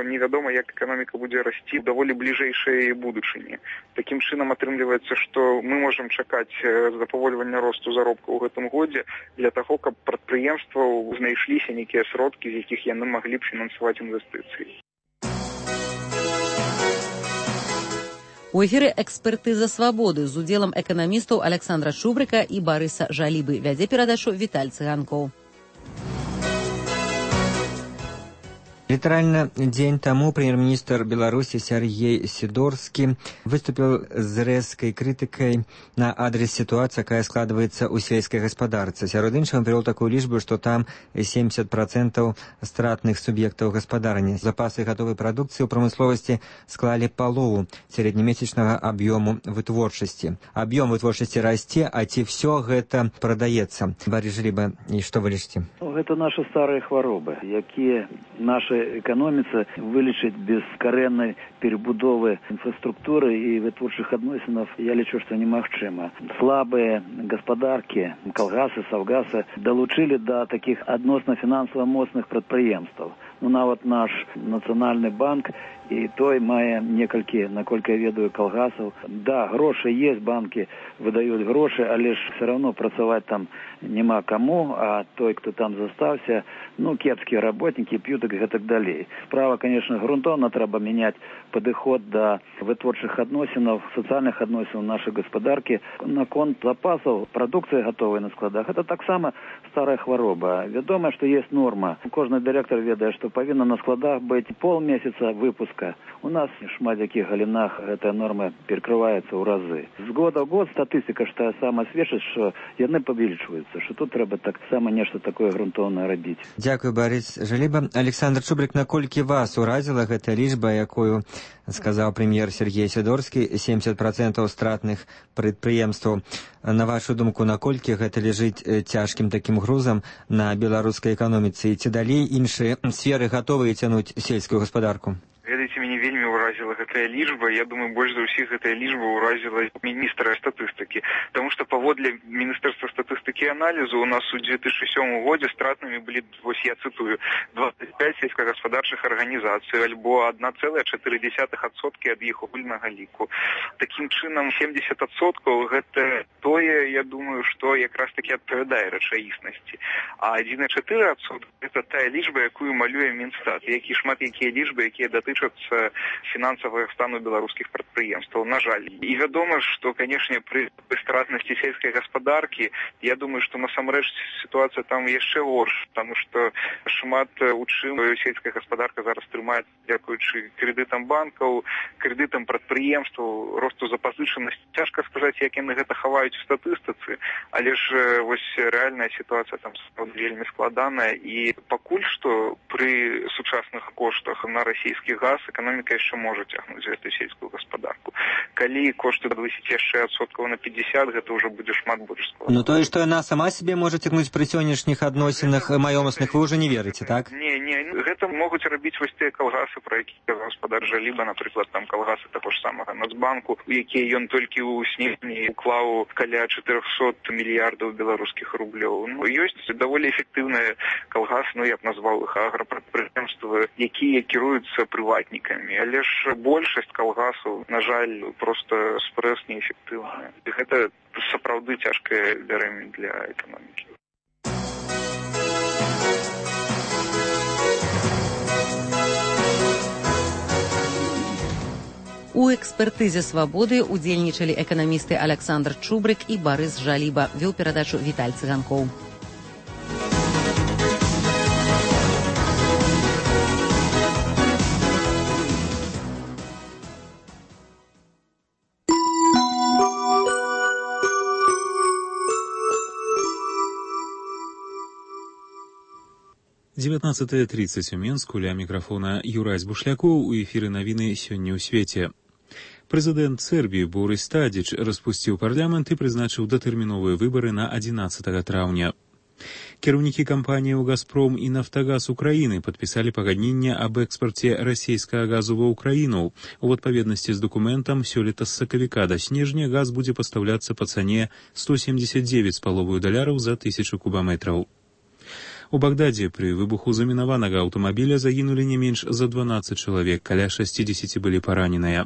невядома, як эканоміка будзе расці ў даволі бліжэйшай будучыні. Такім чынам атрымліваецца, што мы можам чакаць запавольвання росту заробка ў гэтым годзе для таго, каб прадпрыемстваў знайшліся нейкія сродкі, з якіх яны маглі б фінансаваць інвестыцыі. У эфіры «Экспертыза свабоды» з удзелам эканамістаў Александра Чубрыка і Барыса Жалібы. Вядзе перадачу Віталь Цыганкоў. Літаральна дзень таму прэм'ер-міністр Беларусі Сяргей Сідорскі выступіў з рэзкай крытыкай на адрес сітуацыі, якая складваецца ў сельскай гаспадарцы. Сярод іншага прывёў такую лічбу, што там семьдесят процентаў стратных суб'ектаў гаспадарні. Запасы гатовай прадукцыі ў прамысловасці склалі палову сярэднемесячнага аб'ёму вытворчасці. Аб'ём вытворчасці расце, а ці ўсё гэта прадаецца? Барыс Жыліба, і што вы лічыце? Гэта нашы старыя хваробы, якія наша эканоміца вылечыць без карэннай перебудовы інфраструктуры і вытворчых адносінаў, я лічу, што немагчыма. Слабыя гаспадаркі, калгасы, саўгасы далучылі да такіх адносна фінансава моцных прадпрыемстваў. Ну, нават наш нацыянальны банк, і той мае некалькі, наколькі я ведаю, калгасаў. Да, грошы есть, банкі выдаюць грошы, але ж все равно працаваць там няма каму, а той, хто там застаўся, ну, кепскія работнікі, п'ют і гэтак далей. Справа, конечно, грунтоўна трэба мяняць падыход да вытворчых адносінаў, сацыяльных адносінаў нашай гаспадаркі. Наконт запасаў прадукцыі гатовай на складах, гэта таксама старая хвароба. Вядома, што есть норма. Кожны дырэктар ведае, што павінна на складах быць полмесяца выпуска. У нас в шмат якіх галінах гэтая норма перакрываецца ў разы. З года ў год статыстыка ж тая сама сведчыць, што яны павялічваюцца, што тут трэба таксама нешта такое грунтоўнае рабіць. Дзякую, Барыс Жаліба. Александр Чубрык, наколькі вас уразіла гэта лічба, якую сказаў прэм'ер Сергей Сідорскі, семьдесят процентаў стратных прадпрыемстваў. На вашу думку, наколькі гэта ляжыць цяжкім такім грузам на беларускай эканоміцы? Ці далей іншыя сферы гатовыя цянуць сельскую гаспадарку? Ведаеце, мяне вельмі ўразіла гэтая лічба. Я думаю, больш за ўсіх гэтая лічба ўразіла міністра статыстыкі. Таму што паводле Міністэрства статыстыкі і аналізу у нас у две тысячи сёмым годзе стратнымі былі, вось я цытую, двадцать пять сельскагаспадарчых арганізацый, альбо одна цэлая чатыры дзесятых адсоткі ад іх агульнага ліку. Такім чынам, семьдесят адсоткаў гэта тое, я думаю, што якраз таки адпавядае рэчаіснасці. А адзін цэлых чатыры десятых адсотка гэта тая лічба, якую малюе Мінстат, які шмат якія лічбы, якія датычацца фінансавага стану беларускіх прадпрыемстваў, на жаль. І вядома, што, канешне, пры стратнасці сельскай гаспадаркі, я думаю, што насамрэч сітуацыя там яшчэ горш, таму што шмат у чым сельская гаспадарка зараз трымаецца дзякуючы крэдытам банкаў, крэдытам прадпрыемстваў, росту запазычанасці. Цяжка сказаць, як яны гэта хаваюць у статыстыцы, але ж вось рэальная сітуацыя там вельмі складаная, і пакуль што пры сучасных коштах на расійскі газ, эканоміка яшчэ можа цягнуць гэтую сельскую гаспадарку. Калі кошты падвысіць яшчэ адсоткаў на пятьдесят, гэта ўжо будзе шмат больш складана. Ну тое, што яна сама сябе можа цягнуць пры сённяшніх адносінах маёмасных, вы ўжо не верыце, так? Не, не, гэта могуць рабіць вось тыя калгасы, пра які казаў гаспадар Жаліба, напрыклад, там калгасы таго ж самага Нацбанку, у якія ён толькі ў снежні уклаў каля чатырохсот мільярдаў беларускіх рублёў. Ну, ёсць даволі эфектыўныя калгасы, ну я б назваў іх аграпрадпрыемствы, якія кіруюцца прыватнікамі, але ж большасць калгасаў, на жаль, проста спрэс неэфектыўная. Гэта сапраўды цяжкае бярэмя для эканомікі. У экспертызе «Свабоды» удзельнічалі эканамісты Александр Чубрык і Барыс Жаліба. Вёў перадачу Віталь Цыганкоў. девятнадцатая тридцать у Менску, ля мікрафона Юрась Бушлякоў, у эфіры навіны сёння ў свеце. Прэзідэнт Сербіі Борис Тадзіч распусціў парламент і прызначыў датэрміновыя выбары на адзінаццатага траўня. Кіраўнікі кампаніяў «Газпром» і «Нафтагаз» Украіны падпісалі пагадненне аб экспарце расійскага газу ва ўкраіну. У адпаведнасці з дакументам сёлета з сакавіка да снежня газ будзе пастаўляцца па цане сто семьдесят девять з паловаю даляраў за тысячу кубаметраў. У Багдадзе пры выбуху замінаванага аўтамабіля загінулі не менш за дванаццаць чалавек, каля шасцідзесяці былі параненыя.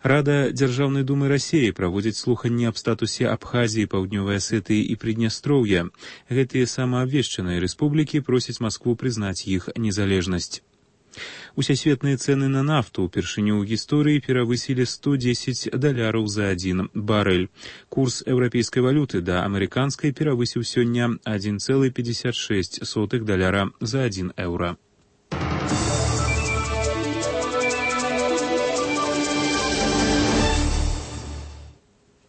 Рада Дзяржаўнай думы Расіі праводзіць слуханні аб статусе Абхазіі, Паўднёвай Асетыі і Прыднястроўя. Гэтыя самаабвешчаныя рэспублікі просяць Маскву прызнаць іх незалежнасць. Усесветныя цэны на нафту упершыню ў гісторыі перавысілі сто дзесяць даляраў за адзін барэль. Курс еўрапейскай валюты да амерыканскай перавысіў сёння адзін цэлых пятьдесят шесть сотых даляра за адзін еўра.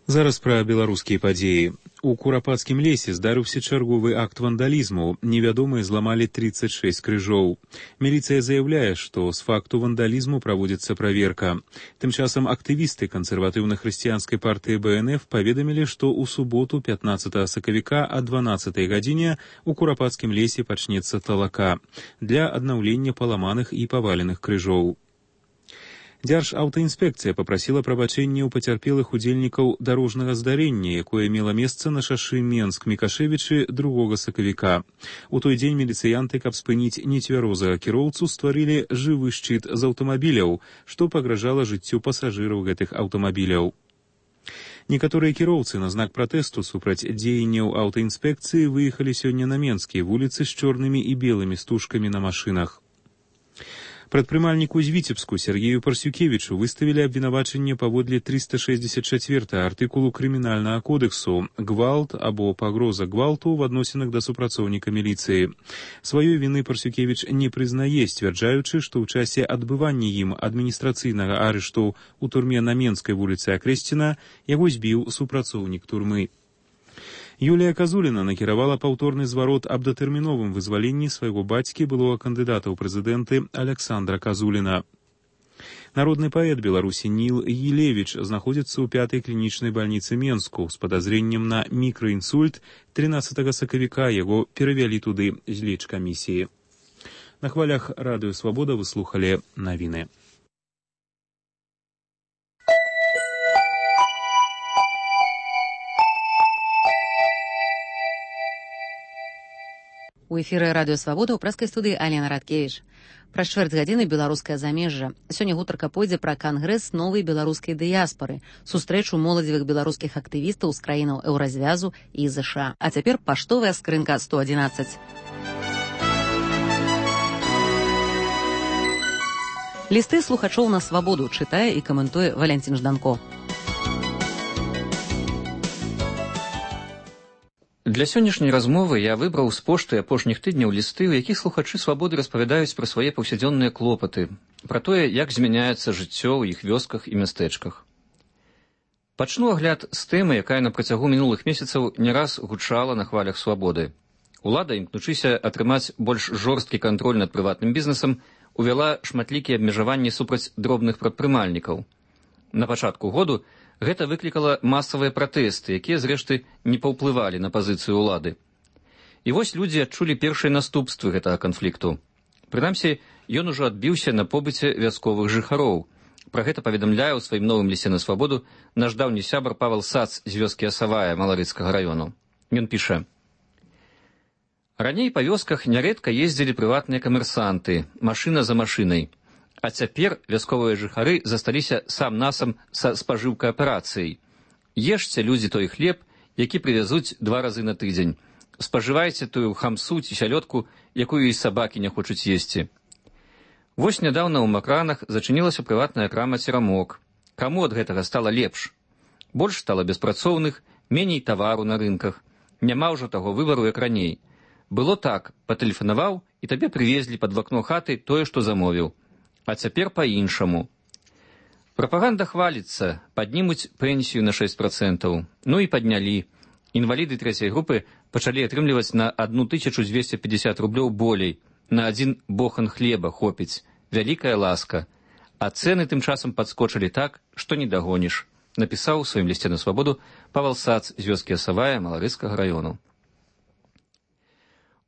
Зараз пра беларускія падзеі. У Курапацкім лесе здарыўся чарговы акт вандалізму. Невядомыя зламалі тридцать шесть крыжоў. Міліцыя заяўляе, што з факту вандалізму праводзіцца праверка. Тым часам актывісты кансерватыўна-хрысціянскай партыі бэ эн эф паведамілі, што ў суботу пятнаццатага сакавіка о дванаццатай гадзіне у Курапацкім лесе пачнецца талака для аднаўлення паламаных і паваленых крыжоў. Дзяржаўтаінспекцыя папрасіла прабачэння ў пацярпелых удзельнікаў дарожнага здарэння, якое мела месца на шашы Менск-Мікашевічы другога сакавіка. У той дзень міліцыянты, каб спыніць нецвярозага кіроўцу, стварылі жывы шчыт з аўтамабіляў, што пагражала жыццю пасажыраў гэтых аўтамабіляў. Некаторыя кіроўцы на знак пратэсту супраць дзеянняў аўтаінспекцыі выехалі сёння на менскія вуліцы з чорнымі і белымі стужкамі на машынах. Прадпрымальніку з Віцебску Сергею Парсюкевічу выставілі абвінавачанне паводле трыста шэсцьдзесят чацвёртага артыкулу крымінальнага кодексу «Гвалт» або «пагроза гвалту» в адносінах да супрацоўніка міліцыі. Сваёй віны Парсюкевіч не прызнае, сцвярджаючы, што ў часе адбывання ім адміністрацыйнага арышту ў турме на Менскай вуліцы Акрэсціна яго збіў супрацоўнік турмы. Юлія Казуліна накіравала паўторны зварот аб датэрміновым вызваленні свайго бацькі, былога кандыдата ў прэзідэнты Александра Казуліна. Народны паэт Беларусі Ніл Елевіч знаходзіцца ў пятай клінічнай бальніцы Менску з падазрэннем на мікраінсульт. трынаццатага сакавіка яго перавялі туды з лечкамісіі. На хвалях радыё «Свабода» вы слухалі навіны. У эфіры радыё «Свабода» ў прэскай студыі Алена Радкевіч. Праз чвэрць гадзіны беларускае замежжа. Сёння гутарка пойдзе пра кангрэс новай беларускай дыяспары, сустрэчу моладзевых беларускіх актывістаў з краінаў еўразвязу і ЗША. А цяпер паштовая скрынка сто адзінаццаць. Лісты слухачоў на «Свабоду» чытае і каментуе Валянцін Жданко. Для сённяшняй размовы я выбраў з пошты апошніх тыдняў лісты, у якіх слухачы «Свабоды» распавядаюць пра свае паўсядзённыя клопаты, пра тое, як змяняецца жыццё ў іх вёсках і мястэчках. Пачну агляд з тэмы, якая на працягу мінулых месяцаў не раз гучала на хвалях «Свабоды». Улада, імкнучыся атрымаць больш жорсткі кантроль над прыватным бізнесам, увяла шматлікія абмежаванні супраць дробных прадпрымальнікаў. На пачатку году гэта выклікала масавыя пратэсты, якія, зрэшты, не паўплывалі на пазіцыю ўлады. І вось людзі адчулі першыя наступствы гэтага канфлікту. Прынамсі, ён ужо адбіўся на побыце вясковых жыхароў. Пра гэта паведамляе ў сваім новым лісце на свабоду наш даўні сябар Павел Сац з вёскі Асавая Маларыцкага раёну. Ён піша: «Раней па вёсках нярэдка ездзілі прыватныя камерсанты, машына за машынай. А цяпер вясковыя жыхары засталіся сам-насам са спажыўкай аперацыяй. Ешце, людзі, той хлеб, які прывязуць два разы на тыдзень. Спажывайце тую хамсу ці сялёдку, якую і сабакі не хочуць есці. Вось нядаўна ў Макранах зачынілася прыватная крама «Церамок». Каму ад гэтага стала лепш? Больш стала беспрацоўных, меней тавару на рынках. Няма ўжо таго выбару, як раней. Было так, патэлефанаваў, і табе прывезлі пад вакно хаты тое, што замовіў. А цяпер па-іншаму. Прапаганда хваліцца, паднімуць пенсію на шэсць працэнтаў. Ну і паднялі. Інваліды трэцяй групы пачалі атрымліваць на одну тысячу двести пятьдесят рублёў болей. На адзін бохан хлеба хопіць. Вялікая ласка. А цэны тым часам падскочылі так, што не дагоніш. Напісаў у сваім лісце на свабоду Павел Сац з вёскі Асавая Маларыцкага раёну.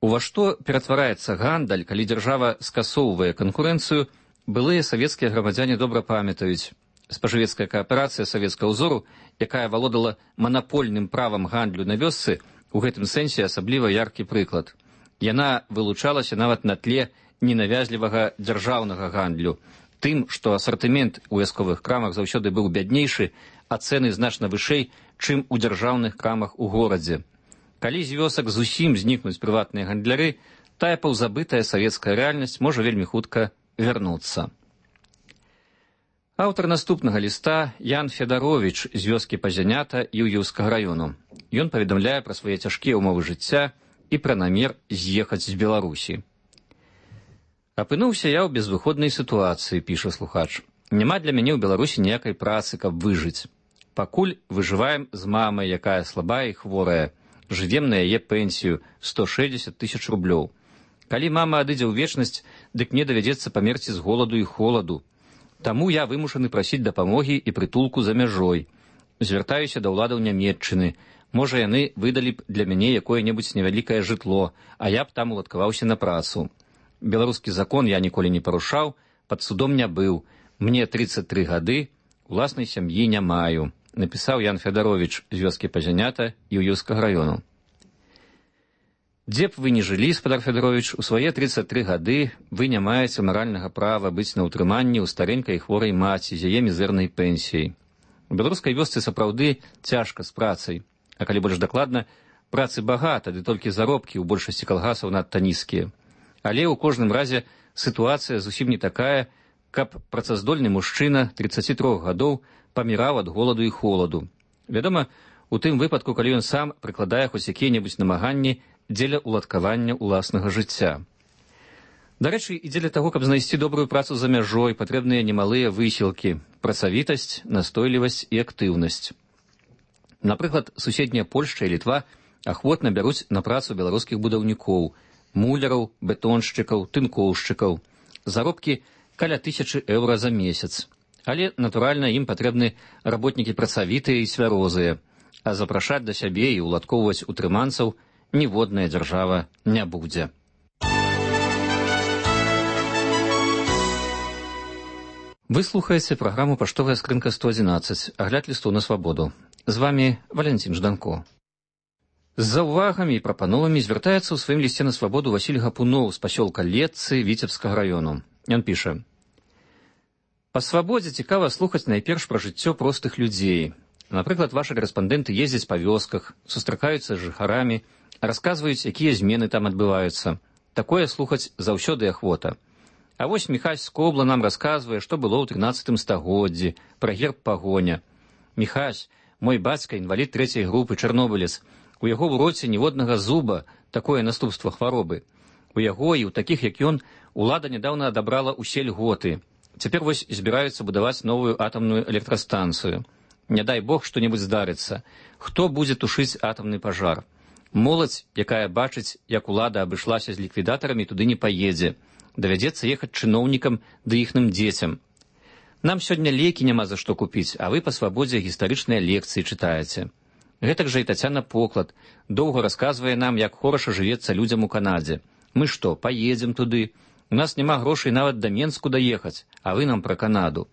Ува што ператвараецца гандаль, калі дзяржава скасоўвае канкурэнцыю, былыя савецкія грамадзяне добра памятаюць. Спажывецкая кааперацыя савецкага ўзору, якая валодала манапольным правам гандлю на вёсцы, у гэтым сэнсе асабліва яркі прыклад. Яна вылучалася нават на тле ненавязлівага дзяржаўнага гандлю, тым, што асартымент у вясковых крамах заўсёды быў бяднейшы, а цэны значна вышэй, чым у дзяржаўных крамах у горадзе. Калі з вёсак зусім знікнуць прыватныя гандляры, тая паўзабытая савецкая рэальнасць можа вельмі хутка вярнуцца. Аўтар наступнага ліста Ян Федаровіч з вёскі Пазянята Юўеўскага раёну. Ён паведамляе пра свае цяжкія ўмовы жыцця і пра намер з'ехаць з Беларусі. «Апынуўся я ў безвыходнай сітуацыі», піша слухач. «Няма для мяне ў Беларусі ніякай працы, каб выжыць. Пакуль выжываем з мамай, якая слабая і хворая. Жывем на яе пенсію сто шэсцьдзесят тысяч рублёў. Калі мама адыдзе ў вечнасць, дык мне давядзецца памерці з голаду і холаду. Таму я вымушаны прасіць дапамогі і прытулку за мяжой. Звяртаюся да ўладаў Нямецчыны. Можа, яны выдалі б для мяне якое-небудзь невялікае жытло, а я б там уладкаваўся на працу. Беларускі закон я ніколі не парушаў, пад судом не быў. Мне тридцать три гады, уласнай сям'і не маю», напісаў Ян Федаровіч з вёскі Пазянята Юўеўскага раёну. «Дзе б вы не жылі, спадар Федаровіч, у свае тридцать три гады вы не маеце маральнага права быць на ўтрыманні ў старэнькай хворай маці з яе мізэрнай пенсіяй. У беларускай вёсцы сапраўды цяжка з працай, а калі больш дакладна, працы багата, ды толькі заробкі ў большасці калгасаў надта нізкія. Але ў кожным разе сітуацыя зусім не такая, каб працаздольны мужчына тридцати трёх гадоў паміраў ад голаду і холаду. Вядома, у тым выпадку, калі ён сам прыкладае хоць якія-небудзь намаганні дзеля уладкавання ўласнага жыцця. Дарэчы, і дзеля таго, каб знайсці добрую працу за мяжой, патрэбныя немалыя высілкі, працавітасць, настойлівасць і актыўнасць. Напрыклад, суседняя Польшча і Літва ахвотна бяруць на працу беларускіх будаўнікоў, муляраў, бетоншчыкаў, тынкоўшчыкаў. Заробкі каля тысячы еўра за месяц. Але, натуральна, ім патрэбны работнікі працавітыя і цвярозыя, а запрашаць да сябе і уладкоўваць утрыманцаў ніводная дзяржава не будзе. Вы слухаеце праграму «Паштовая скрынка сто адзінаццаць», агляд лісту на свабоду. З вами Валентин Жданко. З заўвагамі і прапановамі звяртаецца ў сваім лісце на свабоду Васіль Гапуноў з пасёлка Летцы Віцебскага раёну. Ён піша: «Па свабодзе цікава слухаць найперш пра жыццё простых людзей. Напрыклад, вашы карэспандэнты ездзяць па вёсках, сустракаюцца з жыхарамі, расказваюць, якія змены там адбываюцца. Такое слухаць заўсёды ахвота. А вось Міхась з Кобла нам расказвае, што было ў трынаццатым стагоддзі, пра герб пагоня. Міхась, мой бацька, інвалід трэцяй групы, чарнобылец. У яго ў роце ніводнага зуба, такое наступства хваробы. У яго і ў такіх, як ён, улада нядаўна адабрала ўсе льготы. Цяпер вось збіраюцца будаваць новую атамную электрастанцыю. Не дай бог што-небудзь здарыцца. Хто будзе тушыць атамны пажар? Моладзь, якая бачыць, як улада абышлася з ліквідатарамі, туды не паедзе. Давядзецца ехаць чыноўнікам ды іхным дзецям. Нам сёння лекі няма за што купіць, а вы па свабодзе гістарычныя лекцыі чытаеце. Гэтак жа і Тацяна Поклад доўга расказвае нам, як хораша жывецца людзям у Канадзе. Мы што, паедзем туды? У нас няма грошай нават да Менску даехаць, а вы нам пра Канаду.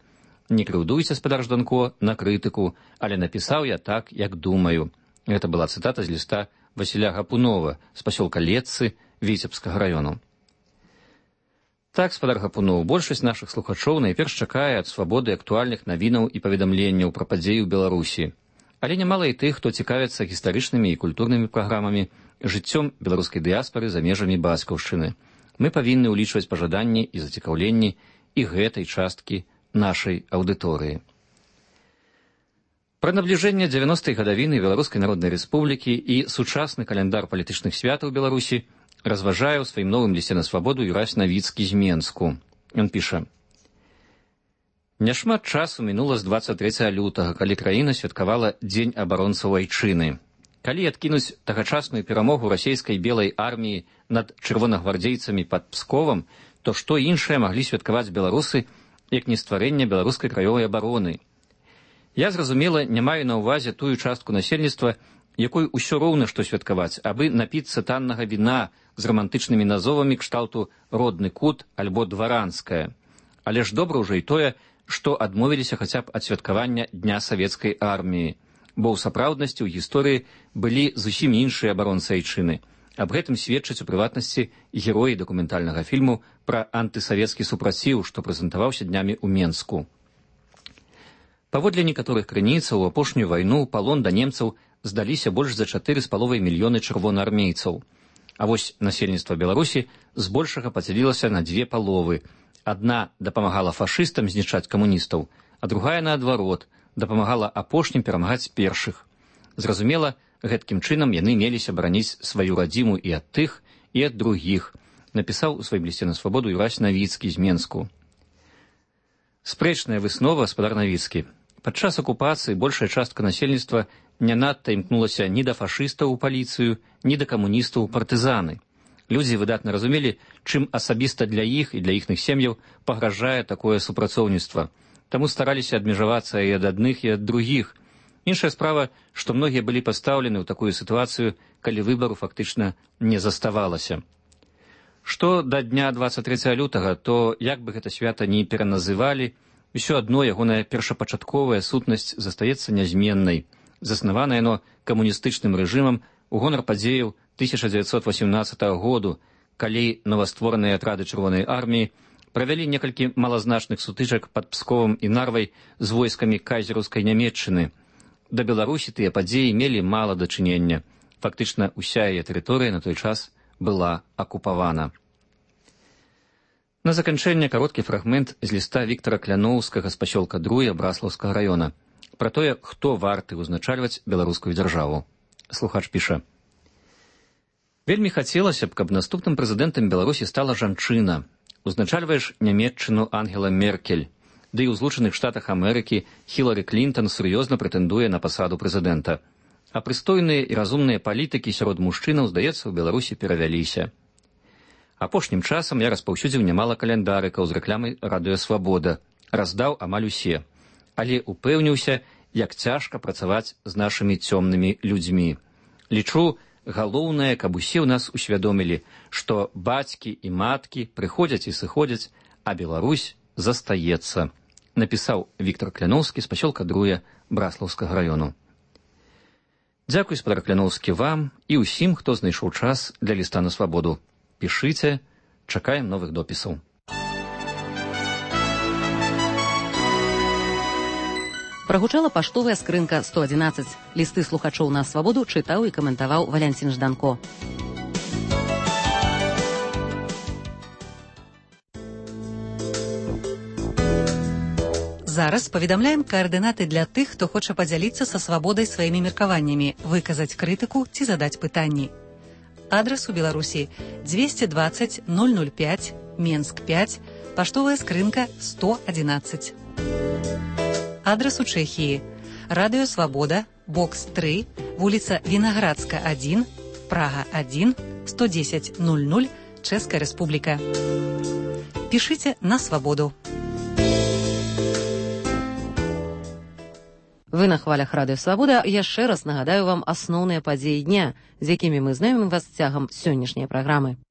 Не крыўдуйся, спадар Жданко, на крытыку, але напісаў я так, як думаю. Гэта была цытата з ліста Васіля Гапунова з пасёлка Летцы Віцебскага раёну. Так, спадар Гапунов, большасць нашых слухачоў найперш чакае ад свабоды актуальных навінаў і паведамленняў пра падзеі ў Беларусі. Але нямала і тых, хто цікавіцца гістарычнымі і культурнымі праграмамі, жыццём беларускай дыяспары за межамі бацькаўшчыны. Мы павінны ўлічваць пажаданні і зацікаўленні і гэтай часткі нашай аўдыторыі. Пра набліжэнне дзевяностай гадавіны Беларускай Народнай Рэспублікі і сучасны каляндар палітычных святаў Беларусі разважае ў сваім новым лісце на свабоду Юрась Навіцкі з Менску. Ён піша: «Няшмат часу мінула з дваццаць трэцяга лютага, калі краіна святкавала Дзень абаронцаў айчыны. Калі адкінуць тагачасную перамогу расійскай белай арміі над чырвонагвардзейцамі пад Псковам, то што іншае маглі святкаваць беларусы, як не стварэнне беларускай краёвай абароны? Я, зразумела, не маю на ўвазе тую частку насельніцтва, якой усё роўна што святкаваць, абы напіцца таннага віна з рамантычнымі назовамі кшталту «родны кут» альбо «дваранская». Але ж добра ўжо і тое, што адмовіліся хаця б ад святкавання Дня савецкай арміі, бо ў сапраўднасці ў гісторыі былі зусім іншыя абаронцы айчыны. Аб гэтым сведчаць у прыватнасці героі дакументальнага фільму пра антысавецкі супраціў, што прэзентаваўся днямі ў Менску. Паводле некаторых крыніцаў, у апошнюю вайну палон да немцаў здаліся больш за чатыры з паловай мільёны чырвонаармейцаў. А вось насельніцтва Беларусі збольшага падзялілася на дзве паловы. Адна дапамагала фашыстам знішчаць камуністаў, а другая, наадварот, дапамагала апошнім перамагаць першых. Зразумела, гэткім чынам яны меліся бараніць сваю радзіму і ад тых, і ад другіх, напісаў у сваім лісце на свабоду Юрась Навіцкі з Менску. Спрэчная выснова, спадар Навіцкі. Падчас акупацыі большая частка насельніцтва не надта імкнулася ні да фашыстаў у паліцыю, ні да камуністаў у партызаны. Людзі выдатна разумелі, чым асабіста для іх і для іхных сем'яў пагражае такое супрацоўніцтва. Таму стараліся адмежавацца і ад адных, і ад другіх. Іншая справа, што многія былі пастаўлены ў такую сітуацыю, калі выбару фактычна не заставалася. Што да дня дваццаць трэцяга лютага, то як бы гэта свята ні пераназывалі, усё адно ягоная першапачатковая сутнасць застаецца нязменнай. Заснавана яно камуністычным рэжымам у гонар падзеяў тысяча дзевяцьсот васямнаццатага году, калі новаствораныя атрады чырвонай арміі правялі некалькі малазначных сутычак пад Псковам і Нарвай з войскамі кайзераўскай Нямецчыны. Да Беларусі тыя падзеі мелі мала дачынення. Фактычна ўся яе тэрыторыя на той час была акупавана. На заканчэнне кароткі фрагмент з ліста Віктара Кляноўскага з пасёлка Друя Браслаўскага раёна пра тое, хто варты ўзначальваць беларускую дзяржаву. Слухач піша: «Вельмі хацелася б, каб наступным прэзідэнтам Беларусі стала жанчына. Узначальваеш Нямецчыну Ангела Меркель, ды і ў Злучаных Штатах Амерыкі Хілары Клінтон сур'ёзна прэтэндуе на пасаду прэзідэнта. А прыстойныя і разумныя палітыкі сярод мужчынаў, здаецца, у Беларусі перавяліся. Апошнім часам я распаўсюдзіў нямала каляндарыкаў з рэкламай «Радыё Свабода», раздаў амаль усе, але упэўніўся, як цяжка працаваць з нашымі цёмнымі людзьмі. Лічу, галоўнае, каб усе ў нас усвядомілі, што бацькі і маткі прыходзяць і сыходзяць, а Беларусь застаецца», напісаў Віктар Кляноўскі з пасёлка Друя Браслаўскага раёну. Дзякуй, спадар Кляноўскі, вам і ўсім, хто знайшоў час для ліста на свабоду. Пішыце, чакаем новых допісаў. Прагучала паштовая скрынка сто адзінаццаць. Лісты слухачоў на свабоду чытаў і каментаваў Валянцін Жданко. Зараз паведамляем каардынаты для тых, хто хоча падзяліцца са свабодай сваімі меркаваннямі, выказаць крытыку ці задаць пытанні. Адрас у Беларусі двести двадцать ноль ноль пять, Менск пять, паштовая скрынка сто адзінаццаць. Адрас у Чэхіі. Радыё Свабода, бокс три, вуліца Вінаградска один, Прага один, сто десять ноль ноль, Чэшская Рэспубліка. Пишите на «Свободу». Вы на хвалях радыё «Свабода». Яшчэ раз нагадаю вам асноўныя падзеі дня, з якімі мы знаёмім вас цягам сённяшняй праграмы.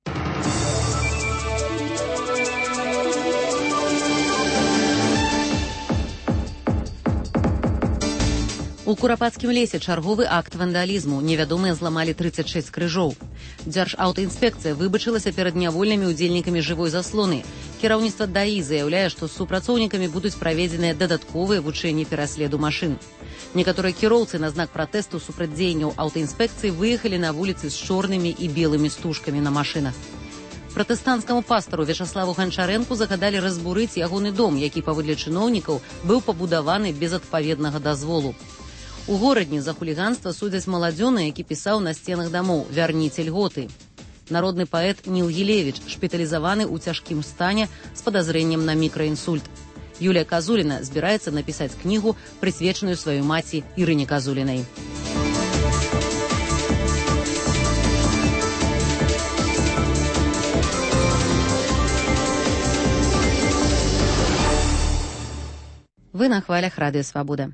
У Курапацкім лесе чарговы акт вандалізму. Невядомыя зламалі трыццаць шэсць крыжоў. Дзяржаўтаінспекцыя выбачылася перад нявольнымі удзельнікамі жывой заслоны. Кіраўніцтва ДАІ заяўляе, што з супрацоўнікамі будуць праведзеныя дадатковыя вучэнні пераследу машын. Некаторыя кіроўцы на знак пратэсту супраць дзеянняў аўтаінспекцыі выехалі на вуліцы з чорнымі і белымі стужкамі на машынах. Пратэстанцкаму пастару Вячаславу Ганчарэнку загадалі разбурыць ягоны дом, які, паводле чыноўнікаў, быў пабудаваны без адпаведнага дазволу. У горадні за хуліганства судзяць маладзёна, які пісаў на сценах дамоў «Вярніце льготы». Народны паэт Ніл Гілевіч шпіталізаваны ў цяжкім стане з падазрэннем на мікраінсульт. Юлія Казуліна збіраецца напісаць кнігу, прысвечаную сваёй маці Ірыне Казулінай. Вы на хвалях радыё «Свабода».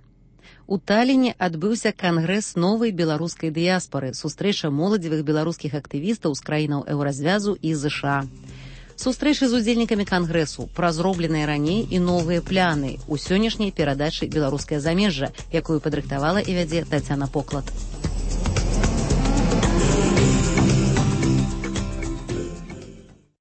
У Талліне адбыўся кангрэс новай беларускай дыяспары, сустрэча моладзевых беларускіх актывістаў з краінаў еўразвязу і ЗША. Сустрэчы з удзельнікамі кангрэсу, пра зробленыя раней і новыя пляны у сённяшняй перадачы «Беларускае замежжа», якую падрыхтавала і вядзе Тацяна Поклад.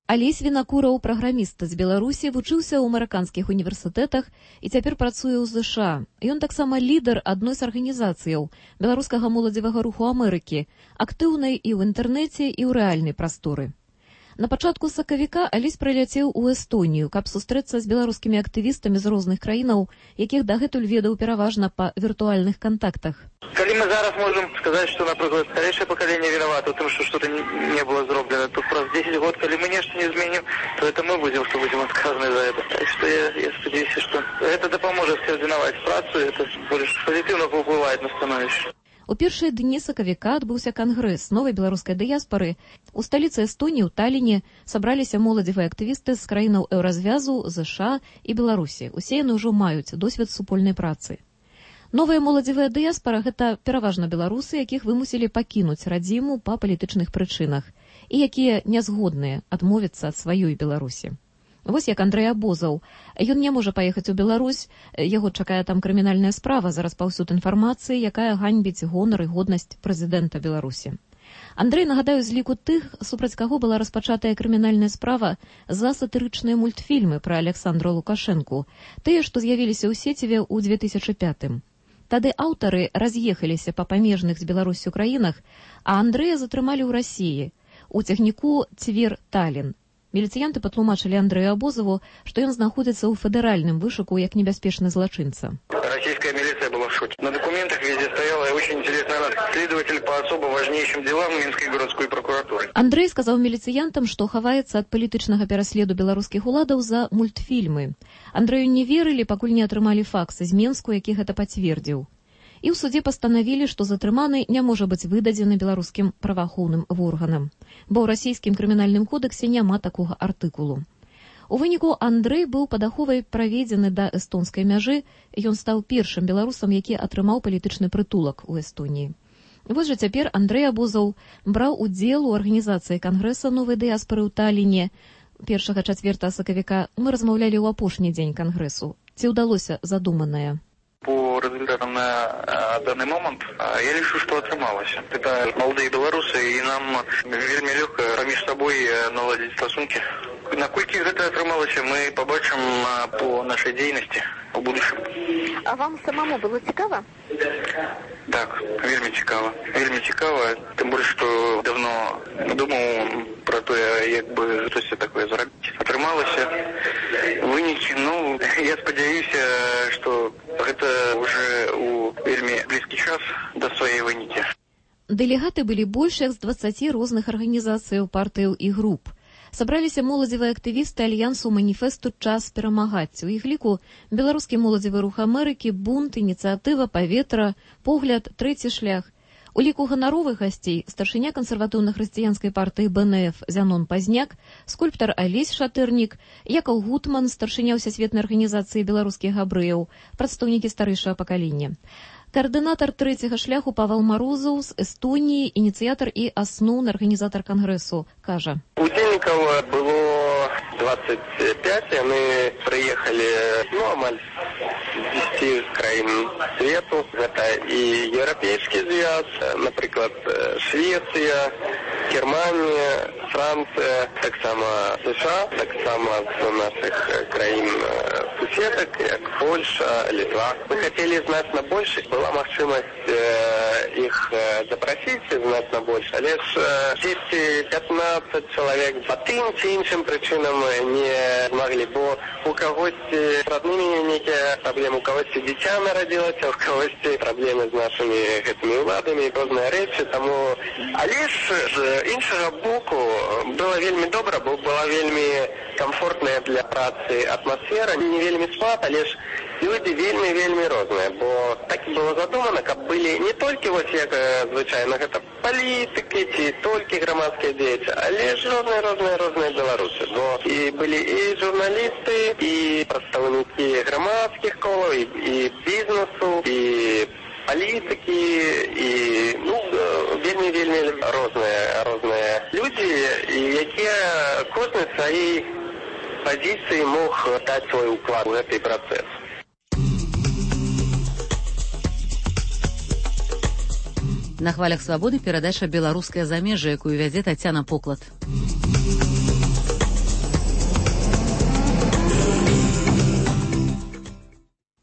Алесь Вінакураў, праграміст з Беларусі, вучыўся ў амерыканскіх універсітэтах і цяпер працуе ў ЗША. Ён таксама лідар адной з арганізацыяў беларускага моладзевага руху Амерыкі, актыўнай і ў інтэрнэце, і ў рэальнай прасторы. На пачатку сакавіка Алесь прыляцеў у Эстонію, каб сустрэцца з беларускімі актывістамі з розных краінаў, якіх дагэтуль ведаў пераважна па віртуальных кантактах. Калі мы зараз можем сказаць, што, напрыклад, старэйшае пакаленне вінавата ў тым, што што-то не было зроблена, то праз дзесяць год, калі мы нешта не зменім, то это мы будзем, што будзем адказаны за это. Так што я, я спадзяюся, што гэта дапаможа скаардынаваць працу, это больш пазітыўна паўплывае на становішча. У першыя дні сакавіка адбыўся кангрэс новай беларускай дыяспары. У сталіцы Эстоніі, у Талліне, сабраліся моладзевыя актывісты з краінаў еўразвязу, ЗША і Беларусі. Усе яны ўжо маюць досвед супольнай працы. Новая моладзевая дыяспара – гэта пераважна беларусы, якіх вымусілі пакінуць радзіму па палітычных прычынах і якія нязгодныя адмовіцца ад сваёй Беларусі. Вось як Андрэй Абозаў. Ён не можа паехаць у Беларусь, яго чакае там крымінальная справа за распаўсюд інфармацыі, якая ганьбіць гонар і годнасць прэзідэнта Беларусі. Андрэй, нагадаю, з ліку тых, супраць каго была распачатая крымінальная справа за сатырычныя мультфільмы пра Александра Лукашэнку, тыя, што з'явіліся ў сеціве ў две тысячы пятым. Тады аўтары раз'ехаліся па памежных з Беларусю краінах, а Андрэя затрымалі ў Расіі, у цягніку Цвер-Таллін. Міліцыянты патлумачылі Андрэю Абозаву, што ён знаходзіцца ў федэральным вышуку як небяспечны злачынца. Российская милиция была в шоке. На документах везде стояла очень интересная надпись: следователь по особо важнейшим делам Минской городской прокуратуры. Андрэй сказаў міліцыянтам, што хаваецца ад палітычнага пераследу беларускіх уладаў за мультфільмы. Андрэю не верылі, пакуль не атрымалі факс з Менску, які гэта пацвердзіў. І ў судзе пастанавілі, што затрыманы не можа быць выдадзены беларускім праваахоўным органам, бо ў расійскім крымінальным кодэксе няма такога артыкулу. У выніку Андрэй быў пад аховай праведзены да эстонскай мяжы, ён стаў першым беларусам, які атрымаў палітычны прытулак у Эстоніі. Вось жа цяпер Андрэй Абозаў браў удзел у арганізацыі кангрэса новай дыяспары ў Талліне. Першага чацвертага сакавіка мы размаўлялі ў апошні дзень кангрэсу. Ці ўдалося задуманае? По результатам на данный момент я лишу, что отрымалось. Это молодые белорусы, и нам вельми легко проміж собой наладить стосунки. Наколькі гэта атрымалася, мы побачым по нашей деятельности в будущем. А вам самому было цікава? Так, вельми цікава. Вельми цікава, тым больш, што давно думаў про то, як бы штосьці такое зрабіць. Атрымалася вынікі, ну, я спадзяюся, што гэта уже у вельми блізкі час да сваёй вынікі. Дэлегаты былі больш як з дваццаці розных арганізацыяў, партыяў і груп. Сабраліся моладзевыя актывісты альянсу маніфесту «Час перамагаць». У іх ліку беларускі моладзевы рух Амерыкі, бунт, ініцыятыва, паветра, погляд, трэці шлях. У ліку ганаровых гасцей старшыня кансерватыўна-хрысціянскай партыі Бэ Эн Эф Зянон Пазняк, скульптар Алесь Шатырнік, Якаў Гутман, старшыня Всесветнай арганізацыі беларускіх габрэяў, прадстаўнікі старэйшага пакалення. Координатор третьего шляху Павел Морозов з Эстонии, инициатор и основный организатор конгрессу, каже. Удельников было двадцать пять, и мы приехали, ну, амаль з десяти краін свету. Это и Европейский Союз, например, Швеция, Германия, Франция, так само США, так само з наших краін суседок, как Польша, Литва. Мы хотели значно больше. Была махчимость э, их э, запросить значно больше, але ж десять-пятнадцать человек по тым ці іншым причинам не могли, бо у когось с родными некие проблемы, у когось дитя народилось, у когось проблемы с нашими этими уладами, разные речи, тому... Але ж з іншого боку было вельми добре, бо была вельми комфортная для працы атмосфера, не вельми спад, але ж люди вельми-вельми розные, бо так і було задумано, каб были не только вот як звичайно, это политики, ці только громадские деятели, але ж розные-розные-розные белорусы. Бо и были и журналисты, и представники громадских колов, и, и бизнесу, и политики, и ну, вельми-вельми розные, розные люди, и які кожен в своей позиции мог дать свой уклад в этот процесс. На хвалях свабоды перадача «Беларускае замежжа», якую вядзе Тацяна Поклад.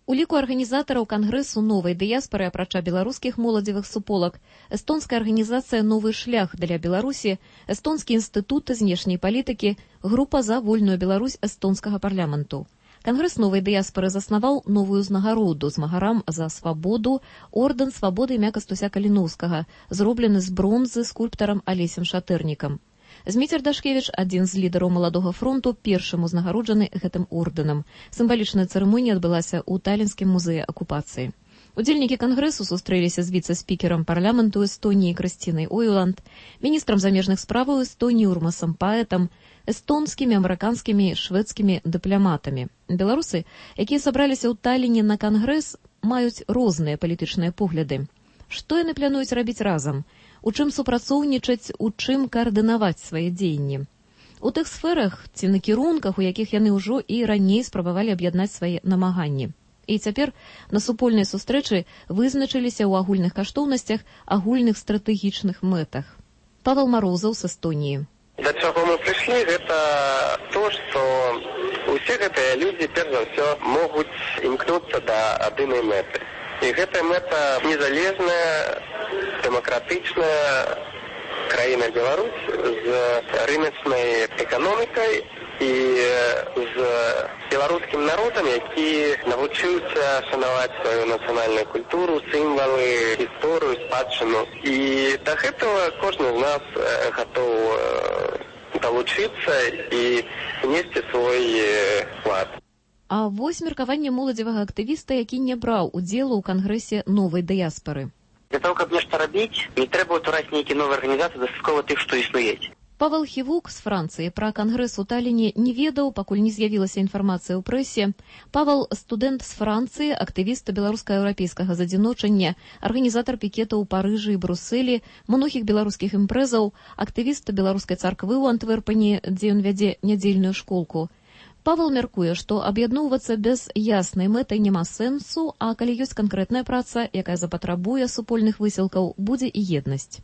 У ліку арганізатараў кангрэсу новай дыяспары, апрача беларускіх моладзевых суполак, эстонская арганізацыя «Новы шлях» для Беларусі, эстонскі інстытут знешняй палітыкі, група за вольную Беларусь эстонскага парламенту. Кангрэс новай дыяспары заснаваў новую ўзнагароду змагарам за свабоду, ордэн свабоды імя Кастуся Каліноўскага, зроблены з бронзы скульптарам Алесем Шатырнікам. Зміцер Дашкевіч, адзін з лідараў маладога фронту, першым узнагароджаны гэтым ордэнам. Сімвалічная цырымонія адбылася ў Талінскім музеі акупацыі. Удзельнікі кангрэсу сустрэліся з віцэ-спікерам парламенту Эстоніі Крысцінай Ойланд, міністрам замежных справаў Эстоніі Урмасам Паэтам, эстонскімі, амерыканскімі, шведскімі дыпламатамі. Беларусы, якія сабраліся ў Таліне на кангрэс, маюць розныя палітычныя погляды. Што яны плануюць рабіць разам? У чым супрацоўнічаць, у чым каардынаваць свае дзеянні? У тых сферах ці накірунках, у якіх яны ўжо і раней спрабавалі аб'яднаць свае намаганні. І цяпер на супольнай сустрэчы вызначыліся ў агульных каштоўнасцях, агульных стратэгічных мэтах. Павел Морозов з Эстоніі. До чего мы пришли, это то, что усе гэтыя люди, перш за все, могут имкнуться до одной меты. И эта мета незалежная, демократичная країна Беларусь з рыночной экономикой и з белорусским народом, які навчився шанувати свою національну культуру, символи, історію, спадщину. И до этого кожен из нас готов долучиться и внести свой вклад. А вось меркаванне моладзевага актывіста, які не браў удзелу ў кангрэсе новай дыяспары. Для того, каб нешта рабіць, не трэба ўтвараць нейкія новыя арганізацыі, дастаткова тых, што існуюць. Павел Хівук з Францыі пра кангрэс у Таліне не ведаў, пакуль не з'явілася інфармацыя ў прэсе. Павел – студэнт з Францыі, актывіст беларуска-еўрапейскага задзіночання, арганізатар пікетаў у Парыжы і Брусэлі, многіх беларускіх імпрэзаў, актывіст беларускай царквы ў Антверпені, дзе ён вядзе нядзельную школку. Павел мяркуе, што аб'ядноўвацца без яснай мэтай няма сэнсу, а калі ёсць канкрэтная праца, якая запатрабуе супольных высілкаў, будзе і еднасць.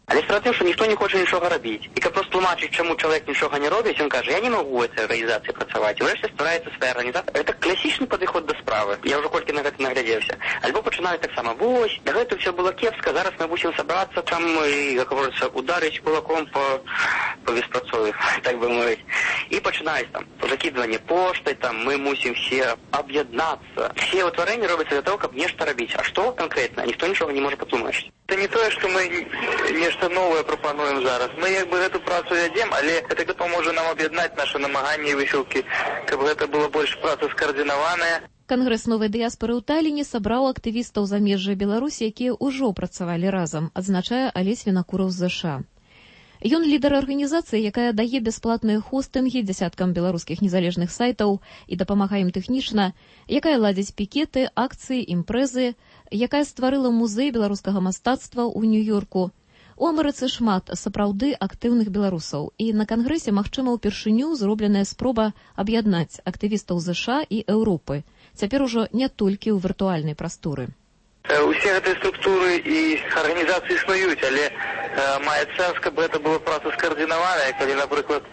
Але справа тым, што ніхто не хоча нічога рабіць. І каб просто тлумачыць, чаму чалавек нічога не робіць, ён кажа, я не магу ў гэтай арганізацыі працаваць. І ўрэшце ствараецца свая арганізацыя. Гэта класічны падыход да справы. Я ўжо колькі на гэта наглядзеўся. Альбо пачынаюць таксама, вось, да гэта ўсё было кепска, зараз мы будзем сабрацца там і, як говорится, ударыць кулаком по, по беспрацові, так бы мовіць. І пачынаюць там закидывание поштай, там мы мусім все аб'яднацца. Все ўтварэнні робяцца для того, каб нешта рабіць. А што канкрэтна? Ніхто нічога не можа патлумачыць. Это не тое, што мы нешта новае прапануем зараз. Мы як бы гэту працу вядзем, але гэта паможа нам аб'яднаць нашы намаганні і высілкі, каб гэта было больш праца скаардынаваная. Кангрэс новай дыяспары ў Таліне сабраў актывістаў замежжа Беларусі, якія ўжо працавалі разам, адзначае Алесь Вінакураў з ЗША. Ён лідар арганізацыі, якая дае бясплатныя хостынгі дзясяткам беларускіх незалежных сайтаў і дапамагае ім тэхнічна, якая ладзіць пікеты, акцыі, імпрэзы, якая стварыла музей беларускага мастацтва ў Нью-Йорку. У Амерыцы шмат сапраўды актыўных беларусаў, і на кангрэсе, магчыма, упершыню зробленая спроба аб'яднаць актывістаў ЗША і Еўропы, цяпер ужо не толькі ў віртуальнай прасторы. Усе гэтыя структуры і арганізацыі існуюць, але э, мае сэнс, каб гэта была праца скаардынаваная, калі, напрыклад,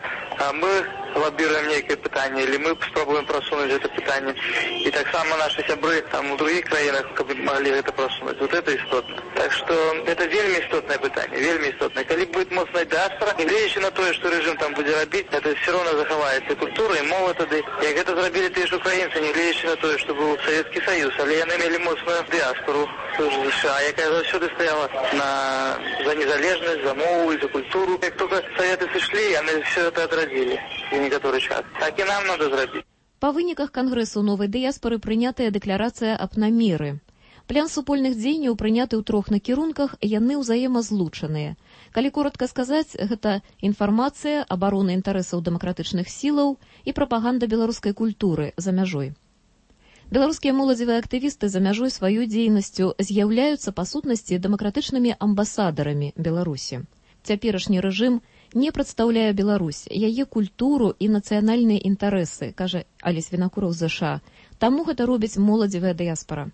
мы лабіруем нейкае пытанне, или мы спробуем просунуть это пытанне. И так само наши сябры там у других краинах, каб могли это просунуть. Вот это істотно. Так что это вельми істотное пытанне, вельми істотное. Калі будет моцная диаспора, негледзячы на тое, что режим там будет робить, это все равно захаваецца культура и мова тады. Як это зрабілі тыя ж украінцы, негледзячы на тое, что был Советский Союз, але яны мелі моцную диаспору США, якая заўсёды стаяла на за незалежнасць, за мову и за культуру. Як только Советы сышлі, яны все это отрадили в некоторый час. Так и нам надо зрабіць. Па выніках кангрэсу новай дыяспары прынятая дэкларацыя аб намеры. План супольных дзеянняў прыняты ў трох накірунках, яны ўзаемазлучаныя. Калі коротка сказаць, гэта інфармацыя, абарона інтарэсаў дэмакратычных сілаў і прапаганда беларускай культуры за мяжой. Беларускія моладзевыя актывісты за мяжой сваёй дзейнасцю з'яўляюцца па сутнасці дэмакратычнымі амбасадарамі Беларусі. Цяперашні рэжым не прадстаўляе Беларусь, яе культуру і нацыянальныя інтарэсы, кажа Алесь Вінакураў з ЗША. Таму гэта робіць моладзевая дыяспара.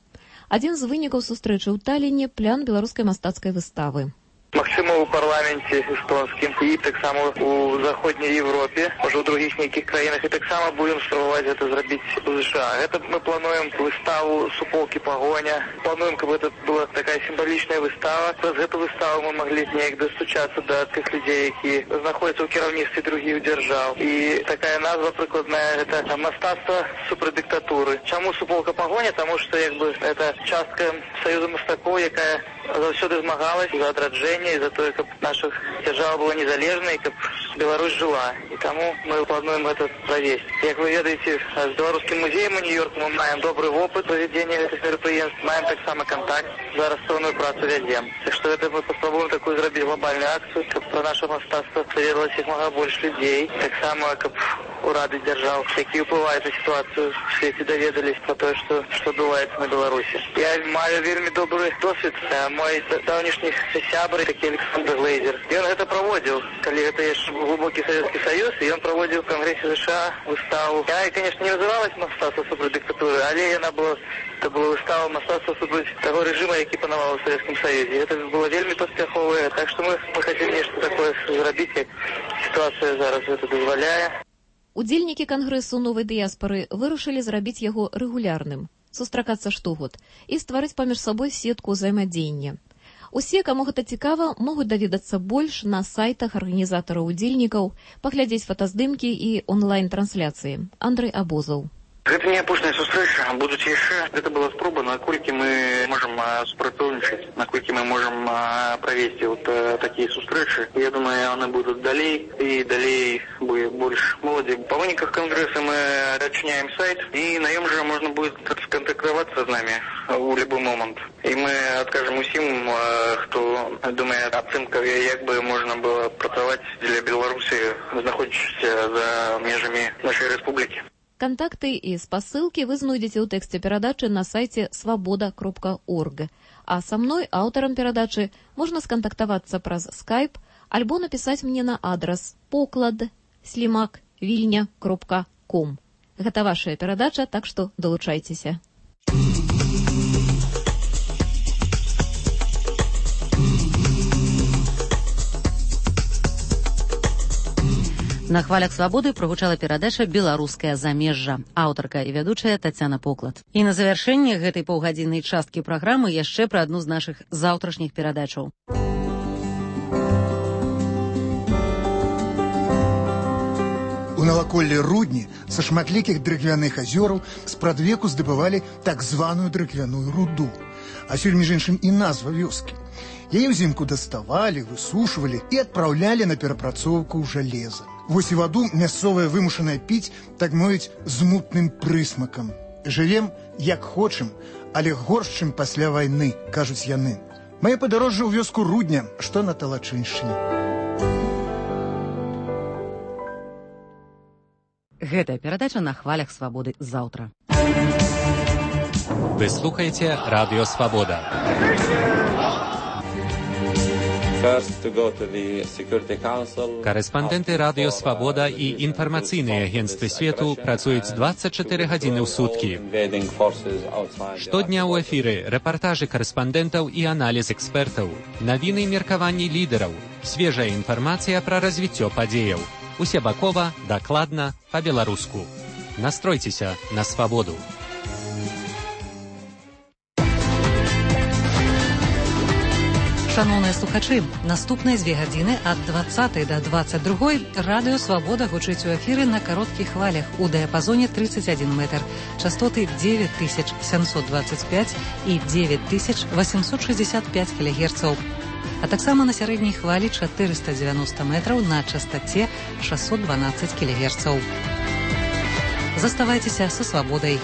Адзін з вынікаў сустрэчы ў Таліне – план беларускай мастацкай выставы. Магчыма, у парламенце эстонскім і таксама у заходняй Европе, можа, у других нейкіх краінах, і таксама будем спрабаваць гэта зрабіць у США. Гэта мы плануем выставу «Суполкі пагоня». Плануем, каб это была такая сімвалічная выстава. Праз гэту выставу мы маглі неяк дастучацца да тых людзей, які знаходзяцца ў кіраўніцтве другіх дзяржаў. І такая назва прыкладная – гэта мастацтва супраць дыктатуры. Чаму «Суполка пагоня»? Таму што як бы это частка Саюза мастакоў, якая заўсёды змагалась за адраджэнне и за то, каб наша держава была незалежной, каб Беларусь жила. И тому мы плануем это провести. Как вы ведаете, с Белорусским музеем у Нью-Йорку мы маем добрый опыт проведения этих мероприятий, маем так само контакт, зараз сонную працу ведем. Так что это мы попробуем такую зробить глобальную акцию, каб про наше мастацтво доведалось их много больше людей. Так само, каб урады держав, які ўплываюць на ситуацию в свете, доведались про то, что, что адбываецца на Беларуси. Я маю вельми добрый досвід. Мой давнішні сябры, такі Александр Глейзер. Ён гэта праводзіў, калі гэта яшчэ глубокі Советский Союз, і ён праводзіў в Конгрессе США выставу. Я, конечно, не называлась мастацтва супраць дыктатуры, але яна была, это была выстава мастацтва супраць таго режима, які панаваў у Советском Союзе. Это было вельми паспяховае, так что мы, мы хотим нешта такое зрабіць, як ситуация зараз гэта дазваляе. Удзельнікі кангрэсу новай дыяспары вырашылі зрабіць яго рэгулярным, сустракацца штогод і стварыць паміж сабой сетку ўзаемадзеяння. Усе, каму гэта цікава, могуць даведацца больш на сайтах арганізатараў удзельнікаў, паглядзець фотаздымкі і онлайн-трансляцыі. Андрэй Абозаў. Гэта не апошняя сустрэча, будуць яшчэ. Гэта была спроба, наколькі мы можам супрацоўнічаць, наколькі мы можам правесці вот такія сустрэчы. Я думаю, яны будуць далей, і далей будет больш моладзі. Па выніках кангрэса мы адчыняем сайт, і на ім жа можна будет скантактавацца з намі у любой момант. І мы адкажам усім, хто думае ацэнка, як бы можна было працаваць для Беларусі, знаходзячыся за межамі нашай рэспублікі. Кантакты і спасылкі вы знойдзеце ў тэксце перадачы на сайце свабода кропка орг. А са мной, аўтарам перадачы, можна скантактавацца праз скайп альбо напісаць мне на адрас поклад слімак вільня кропка ком. Гэта вашая перадача, так што далучайцеся. На хвалях свабоды прагучала перадача «Беларускае замежжа». Аўтарка і вядучая Тацяна Поклад. І на завяршэнне гэтай паўгадзіннай часткі праграмы яшчэ пра адну з нашых заўтрашніх перадачаў. У наваколлі Рудні са шматлікіх дрыгвяных азёраў спрадвеку здабывалі так званую дрыгвяную руду. А сёння, між іншым, і назва вёскі. Яе ўзімку даставалі, высушвалі і адпраўлялі на перапрацоўку ў жалеза. Вось і ваду мясцовая вымушаная піць, так мовіць, з мутным прысмакам. Жывем як хочам, але горш, чым пасля вайны, кажуць яны. Мае падарожжа ў вёску Рудня, што на Талачыншчыне. Гэтая перадача на хвалях свабоды заўтра. Вы слухаеце Радыё Свабода. Карэспандэнты Радыё Свабода і інфармацыйныя агенцтвы свету працуюць дваццаць чатыры гадзіны ў суткі. Штодня ў эфіры рэпартажы карэспандэнтаў і аналіз экспертаў, навіны і меркаванні лідараў, свежая інфармацыя пра развіццё падзеяў. Усебакова, дакладна, па-беларуску. Настройцеся на свабоду. Шановныя слухачы, наступныя дзве гадзіны ад дваццатай да дваццаць другой Радыё Свабода гучыць у эфіры на кароткіх хвалях у дыяпазоне тридцать один метр, частоты девять тысяч семьсот двадцать пять і девять тысяч восемьсот шестьдесят пять кілогерцаў, а таксама на сярэдняй хвалі четыреста девяносто метраў на частоце шестьсот двенадцать кілогерцаў. Заставайцеся са свабодай.